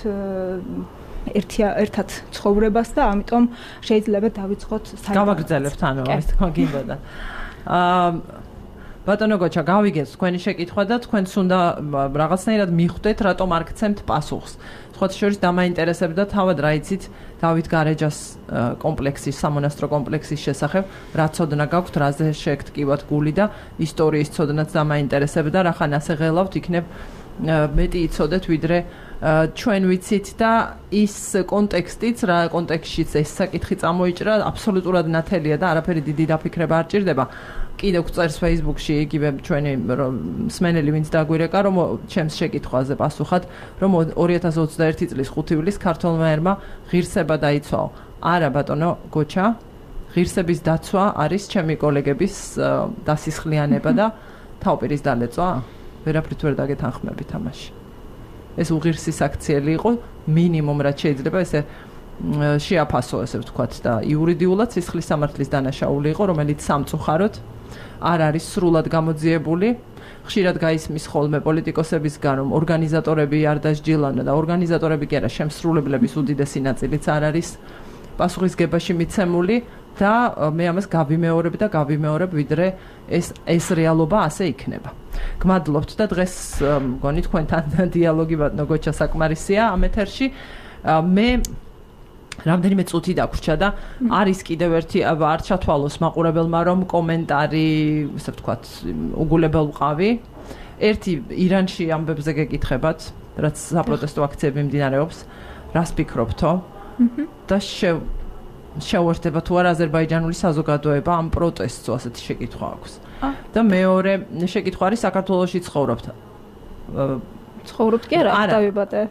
ერთად ცხოვრებას და ამიტომ შეიძლება დავიწყოთ გავაგრძელებთ ანუ ეს თქმა გინდოდა. ბატონო გოჩა, გავიგეთ თქვენი შეკითხვა და თქვენც უნდა რაღაცნაირად მიხვდეთ, რატომ არ გცემთ პასუხს. სხვათა შორის დამაინტერესებდა თავად რა იცით დავით გარეჯას კომპლექსის, სამონასტრო კომპლექსის შესახებ, რა ცოდნა გაქვთ, რაზე შეგტკივათ გული და ისტორიის ცოდნაც დამაინტერესებდა, რახან ასე ღელავთ, იქნებ მეტი იცოდეთ, ვიდრე ჩვენ ვიცით და ის კონტექსტიც, რა კონტექსტშიც ეს საკითხი წამოიჭრა, აბსოლუტურად ნათელია და არაფერი დიდი დაფიქრება არ ჭირდება. კიდევ წერს Facebook-ში იგივე ჩვენი მსმენელი, ვინც დაგვირეკა, რომ ჩემს შეკითხვაზე პასუხად, რომ 2021 წლის 5 ივლისს ქართველმა ერმა ღირსება დაიცვაო. არა ბატონო გოჩა, ღირსების დაცვა არის ჩემი კოლეგების დასისხლიანება და თავპირის დალეწვა. ვერაფრით ვერ დაგეთანხმებით ამაში. ეს უღირსი საქციელი იყო, მინიმუმ რაც შეიძლება ესე შეაფასო, ესე ვთქვათ და იურიდიულად სისხლის სამართლის დანაშაული იყო, რომელიც სამწუხაროდ არ არის სრულად გამოძიებული. ხშირად გაისმის ხოლმე პოლიტიკოსებისგან, რომ ორგანიზატორები არ დასჯილავდნენ და ორგანიზატორები კი არა, შემსრულებლების უდიდესი ნაწილიც არ არის პასუხისგებაში მიცემული და მე ამას გავიმეორებ, ვიდრე ეს რეალობა ასე იქნება. გმადლობთ და დღეს მგონი თქვენთან დიალოგი ბატონო გოჩა საკმარისია ამ ეთერში. მე რამდენიმე წუთი დაგვრჩა და არის კიდევ ერთი არ ჩათვალოს მაყურებელმა რომ კომენტარი, ასე ვთქვათ, უგულებელ ვყავი. ერთი ირანში ამბებზე გეკითხებათ, რაც საპროტესტო აქციები მიმდინარეობს, რას ფიქრობთო? და შეუერთდება თუ არა აზერბაიჯანული საზოგადოება ამ პროტესტს, ასეთი შეკითხვა აქვს. და მეორე შეკითხვა არის საქართველოში ცხოვრობთ. ცხოვრობთ კი არა, დავიბადე.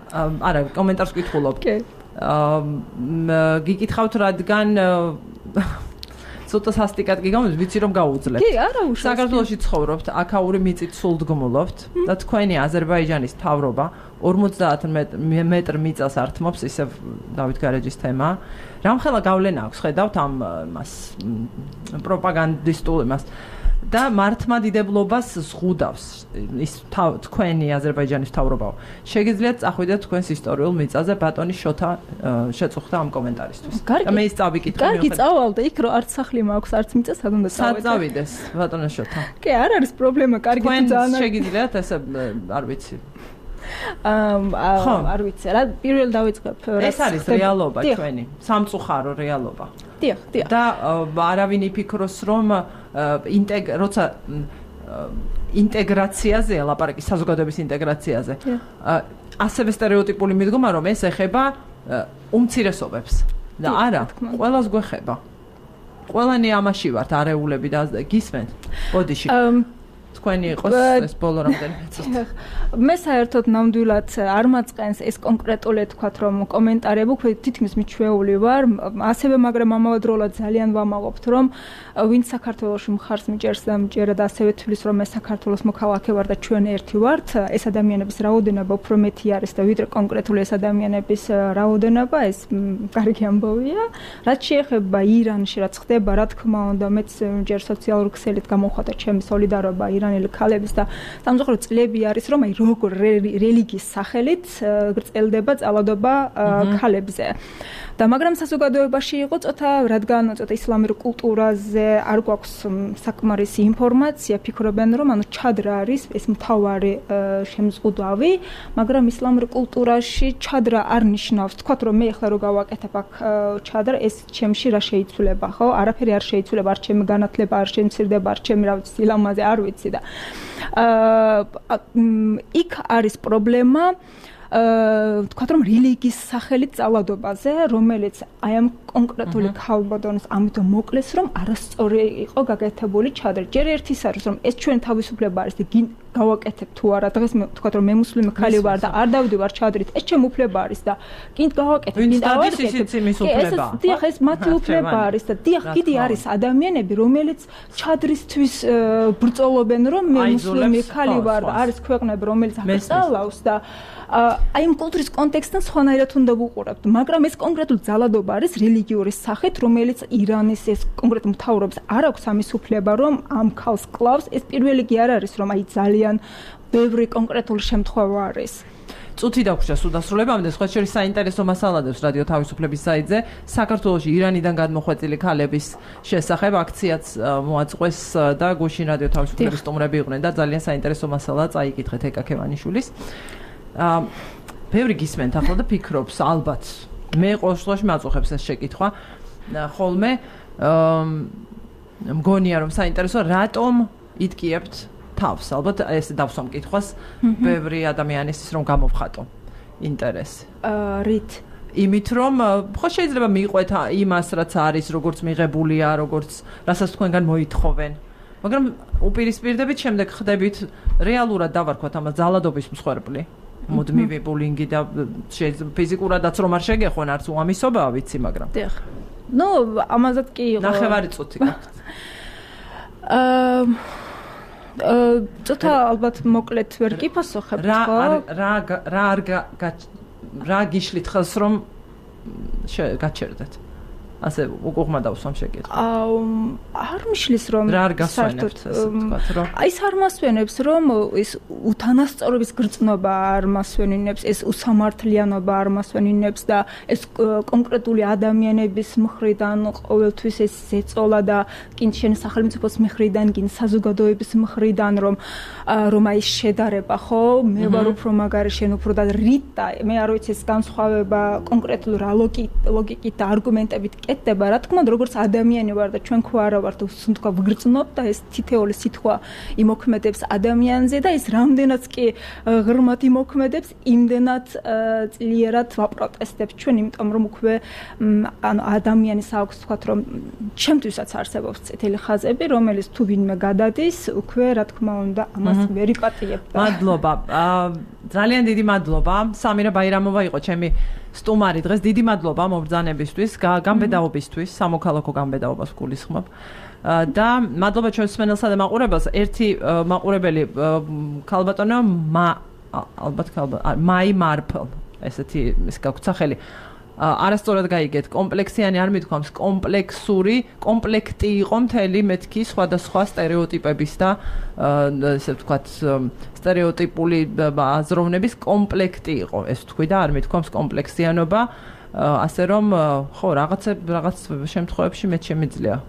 არა, კომენტარს ვკითხულობ. კი. გიკითხავთ რადგან ცოტა სასტიკად გიგამოს, ვიცი რომ გაუძლებთ. კი, არა უშავს. საქართველოში ცხოვრობთ, აქაური მიწით სულდგმულობთ და თქვენი აზერბაიჯანის მთავრობა 50 მეტრ მიწას ართმობს, ისევ დავით გარეჯის თემა. რამხელა გავლენა აქვს, ხედავთ ამ მას პროპაგანდისტულ იმას და მართლმადიდებლობას ზღუდავს ის თქვენი აზერბაიჯანის მთავრობაო. შეგიძლიათ წახვიდეთ თქვენს ისტორიულ მიწაზე, ბატონი შოთა შეწუხდა ამ კომენტარისთვის. და მე ის წავიკითხე. კარგი, წავალდე იქ, რომ არც სახლი მაქვს, არც მიწა სად უნდა წავიდე. სად წავიდეს, ბატონო შოთა? კი, არ არის პრობლემა, კარგი ძალიან. შეგიძლიათ ესე არ ვიცი. არ ვიცი რა, პირველ დავიწყებ. ეს არის რეალობა ჩვენი, სამწუხარო რეალობა. დიახ. და არავინ იფიქროს რომ როცა ინტეგრაციაზე ლაპარაკი, საზოგადოების ინტეგრაციაზე, ასევე სტერეოტიპული მიდგომა რომ ეს ეხება უმცირესობებს და არა, ყველას გვეხება. ყველანი ამაში ვართ, არეულები და გისმენთ ბოდიში. თქვენი იყოს ეს ბოლო რამდენიმე წუთი. მე საერთოდ ნამდვილად არ მაწყენს ეს კონკრეტული თქვათ რომ კომენტარები, თითქმის მიჩვეული ვარ, ასევე მაგრამ ამავდროულად ძალიან ვამაყობთ რომ ვინც საქართველოში მხარს მიჭერს და მიჭერა და ასევე თვლის რომ ეს საქართველოს მოქალაქე ვარ და ჩვენ ერთი ვართ, ეს ადამიანების რაოდენობა უფრო მეტი არის და ვიდრე კონკრეტული ეს ადამიანების რაოდენობა, ეს კარგი ამბავია. რაც შეეხება ირანში რაც ხდება, რა თქმა უნდა, მეც ჯერ სოციალურ ქსელით გამოვხატა ჩემი სოლიდარობა ირანელი ქალების და სამწუხაროდ წლები არის რომ აი როგორ რელიგიის სახელით გრძელდება წალადობა ქალებზე. და მაგრამ საზოგადოებაში იყო ცოტა, რადგან ცოტა ისლამურ კულტურაზე არ გვაქვს საკმარისი ინფორმაცია, ფიქრობენ რომ ანუ ჩადრა არის ეს მთავარი შემზღუდავი, მაგრამ ისლამურ კულტურაში ჩადრა არ ნიშნავს. თქვათ რომ მე ახლა რო გავაკეთებ აქ ჩადრა, ეს ჩემში რა შეიცვლება, ხო? არაფერი არ შეიცვლება, არ ჩემი განათლება, არ შემცირდება, არ ჩემი რა ვიცი, სილამაზე არ ვიცი და იქ არის პრობლემა თქვათ რომ რელიგიის სახელით წალადობაზე, რომელიც აი ამ კონკრეტული ქალბატონის ამიტომ მოკლეს, რომ არასწორი იყო გაკეთებული ჩადრა. ჯერ ერთის არის რომ ეს ჩვენ თავისუფლება არის და გავაკეთებ თუ არა, დღეს მე ვთქვათ რომ მე მუსლიმი ხალი ვარ და არ დავდივარ ჩადრით, ეს ჩემი უფლება არის და კიდ გავაკეთებ, კიდ დავაკეთებ. დიახ, ეს მათი უფლება არის და დიახ, კიდე არის ადამიანები, რომელიც ჩადრისთვის ბრძოლობენ, რომ მე მუსლიმი ხალი ვარ და არის ქვეყნები, რომელიც აღწალავს და აი ამ კულტურის კონტექსტთან სხვანაირად უნდა ვუყურებთ, მაგრამ ეს კონკრეტული ძალადობა არის რელიგიური სახით, რომელიც ირანის ეს კონკრეტულ მთავრობას არ აქვს ამის უფლება, რომ ამ ქალს კლავს. ეს პირველი კი არ არის, რომ აი ძალიან ბევრი კონკრეტული შემთხვევა არის. წუთი დაგვრჩა სულ დასრულებამდე, სხვა შორის საინტერესო მასალადებს რადიო თავისუფლების საიტზე საქართველოში ირანიდან გადმოხვეწილი ქალების შესახებ აქციაც მოაწყვეს და გუშინ რადიო თავისუფლების სტუმრები იყვნენ და ძალიან საინტერესო მასალა წაიკითხეთ ეკა ქევანიშვილის. ბევრი გისმენთ ახლა და ფიქრობს ალბათ მე ყოველ შემთხვევაში მაწუხებს ეს შეკითხვა ხოლმე მგონია რომ საინტერესო რატომ იტკიებთ თავს ალბათ ეს დავსვამ კითხვას ბევრი ადამიანისთვის რომ გამოვხატო ინტერესი რით იმით რომ ხო შეიძლება მიყვეთ იმას რაც არის როგორც მიღებულია როგორც რასაც თქვენგან მოითხოვენ მაგრამ უპირისპირდებით შემდეგ ხდებით რეალურად დავარქვათ ამას ძალადობის მსხვერპლი მუდმივი ბულინგი და ფიზიკურადაც რომ არ შეგეხონ არც უამისობაა ვიცი მაგრამ დიახ ნუ ამაზად კი იყო ნახევარი წუთი გაქვთ ცოტა ალბათ მოკლედ ვერ გიფასოხებთ ხო რა გიშლით ხელს რომ გაჩერდეთ ასე უგუღმა დავსვამ შეკითხვა არ მიშლის რომ რა არ გასვენებთ ასე ვთქვათ რომ ის არ მასვენებს რომ ის უთანასწორობის გრძნობა არ მასვენინებს ეს უსამართლიანობა არ მასვენინებს და ეს კონკრეტული ადამიანების მხრიდან ყოველთვის ეს ზეწოლა და კინ შენ სახელმწიფოს მხრიდან კინ საზოგადოების მხრიდან რომ აი შედარება ხო მე ვარ უფრო მაგარი შენ უფრო და რიტა მე არ ვიცი ეს განსხვავება კონკრეტულ რა ლოგიკით და არგუმენტებით კეთდება რა თქმა უნდა როგორც ადამიანი ვარ და ჩვენ ხო არა ვართ თქო ვგრძნობ და ეს თითეული სიტყვა იმოქმედებს ადამიანზე და ეს რამდენად კი ღრმად იმოქმედებს იმდენად ძლიერად ვაპროტესტებ ჩვენ იმიტომ რომ უკვე ანუ ადამიანის აქვს თქვათ რომ ჩემთვისაც არსებობს წითელი ხაზები რომელიც თუ ვინმე გადადის უკვე რა თქმა უნდა ამას ვერ იპატიებ და მადლობა ძალიან დიდი მადლობა სამირა ბაირამოვა იყო ჩემი სტუმარი დღეს დიდი მადლობა მობრძანებისთვის გამბედაობისთვის სამოქალაქო გამბედაობას გულისხმობ და მადლობა ჩვენს მსმენელსა და მაყურებელს ერთი მაყურებელი ქალბატონო ალბათ მაი მარფელ ესეთი ის გაქვთ სახელი არასწორად გაიგეთ კომპლექსიანი არ მithქვამს კომპლექსური კომპლექტი იყო მთელი მეთქი სხვადასხვა სტერეოტიპების და ესე ვთქვათ სტერეოტიპული აზროვნების კომპლექტი იყო ეს თქვი და არ მithქვამს კომპლექსიანობა ასე რომ ხო რაღაც შემთხვევებში მე შემიძლია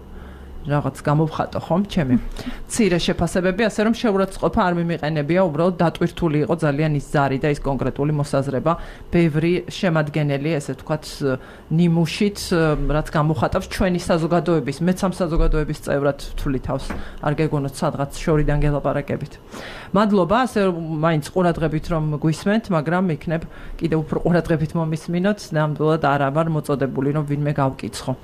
რაღაც გამოვხატო ხომ ჩემი მცირე შეფასებები ასე რომ შეურაცხყოფა არ მიმიყენებია უბრალოდ დატვირთული იყო ძალიან ის ზარი და ის კონკრეტული მოსაზრება ბევრი შემადგენელი ესე ვთქვათ ნიმუშით რაც გამოვხატავს ჩვენი საზოგადოების მეც ამ საზოგადოების წევრად ვთვლი თავს არ გეგონოთ სადღაც შორიდან გელაპარაკებით მადლობა ასე მაინც ყურადღებით რომ გვისმენთ მაგრამ იქნებ კიდევ უფრო ყურადღებით მომისმინოთ ნამდვილად არ ვარ მოწოდებული რომ ვინმე გავკიცხო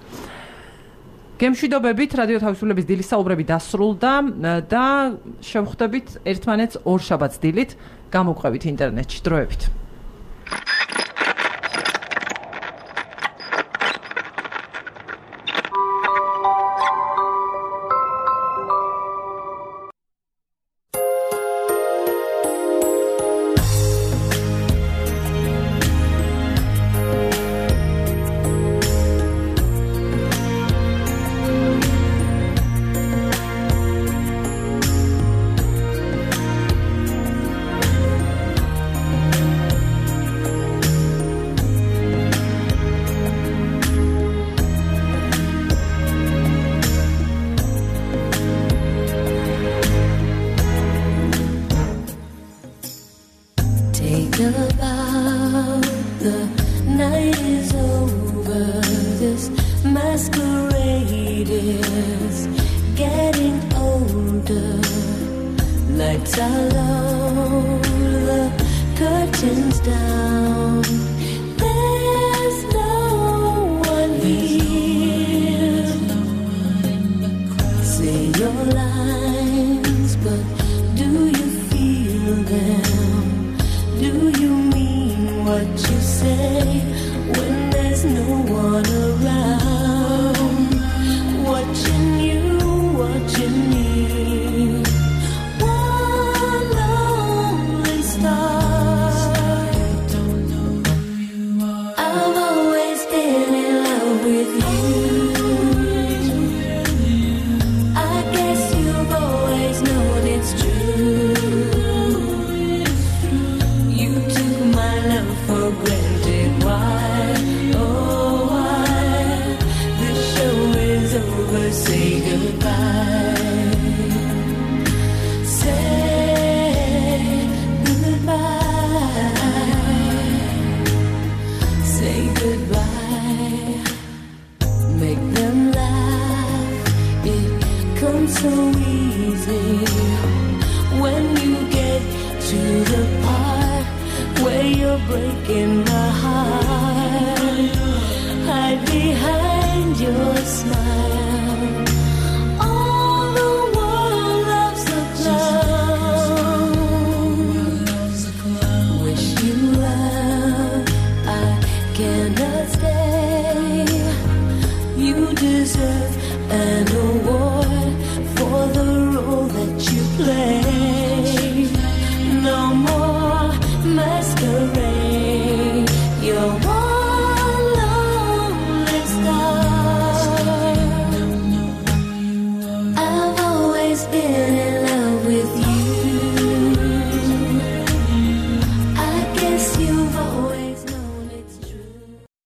გემშვიდობებით რადიო თავისუფლების დილის საუბრები დასრულდა და შევხვდებით ერთმანეთს ორ შაბათს დილით გამოგყვებით ინტერნეტში დროებით goodbye. Make them laugh. It comes so easy when you get to the part where you're breaking my heart. Hide behind your smile. All the world loves the clown. Wish you well, I cannot stay. You deserve an award for the role that you play. No more masquerade.